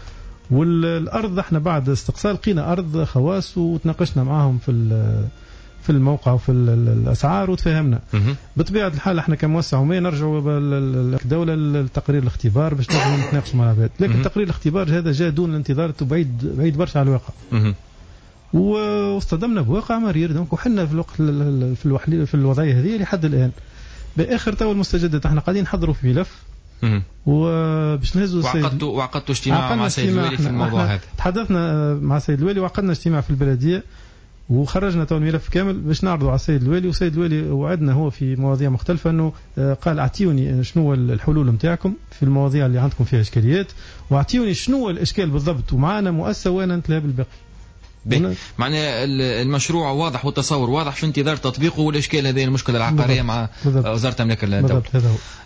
والارض احنا بعد استقصاء لقينا ارض خواص وتناقشنا معاهم في الموقع وفي الاسعار وتفاهمنا. بطبيعة الحال احنا كمؤسسة عموميه نرجعوا الدولة لتقرير الاختبار باش نجموا نتناقشوا مع العباد، لكن تقرير الاختبار هذا جاء دون الانتظار وبعيد بعيد برشا على الواقع. واصطدمنا بواقع مرير، donc وحنا في الوقت في الوضعية هذه لحد الان. باخر تو المستجدات احنا قاعدين نحضروا في ملف وباش نهزوا وعقدتوا اجتماع مع السيد الوالي في الموضوع هذا. تحدثنا مع السيد الوالي وعقدنا اجتماع في البلدية وخرجنا تو الملف كامل باش نعرضوا على السيد الوالي، والسيد الوالي وعدنا هو في مواضيع مختلفة انه قال اعطيوني شنو الحلول نتاعكم في المواضيع اللي عندكم فيها اشكاليات، واعطيوني شنو الاشكال بالضبط، ومعنا مؤسسة وانا نتلهى بالباقي. معناها المشروع واضح والتصور واضح في انتظار تطبيقه، والاشكال هذه المشكلة العقارية مع وزارة املاك الدولة.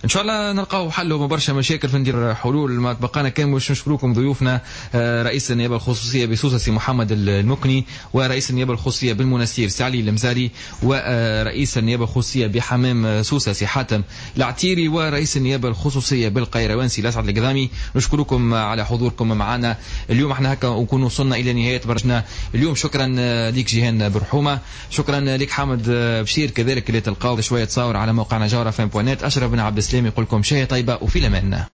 ان شاء الله نلقاو حل برشا مشاكل في ندير حلول. ما تبقانا كان باش نشكركم ضيوفنا رئيس النيابة الخصوصية بسوسه سي محمد المكني، ورئيس النيابة الخصوصية بالمنستير سي علي المزاري، ورئيس النيابة الخصوصية بحمام سوسة سي حاتم العتيري، ورئيس النيابة الخصوصية بالقيروان سي لسعد القذامي. نشكركم على حضوركم معنا اليوم. احنا هكا نكون وصلنا الى نهاية برنامجنا اليوم. شكرا لك جيهان برحومه، شكرا لك حامد بشير كذلك اللي تلقاو شوية تصاور على موقعنا جوهرة FM point net. اشرف بن عبد السلام يقول لكم شاي طيبة وفي الامان.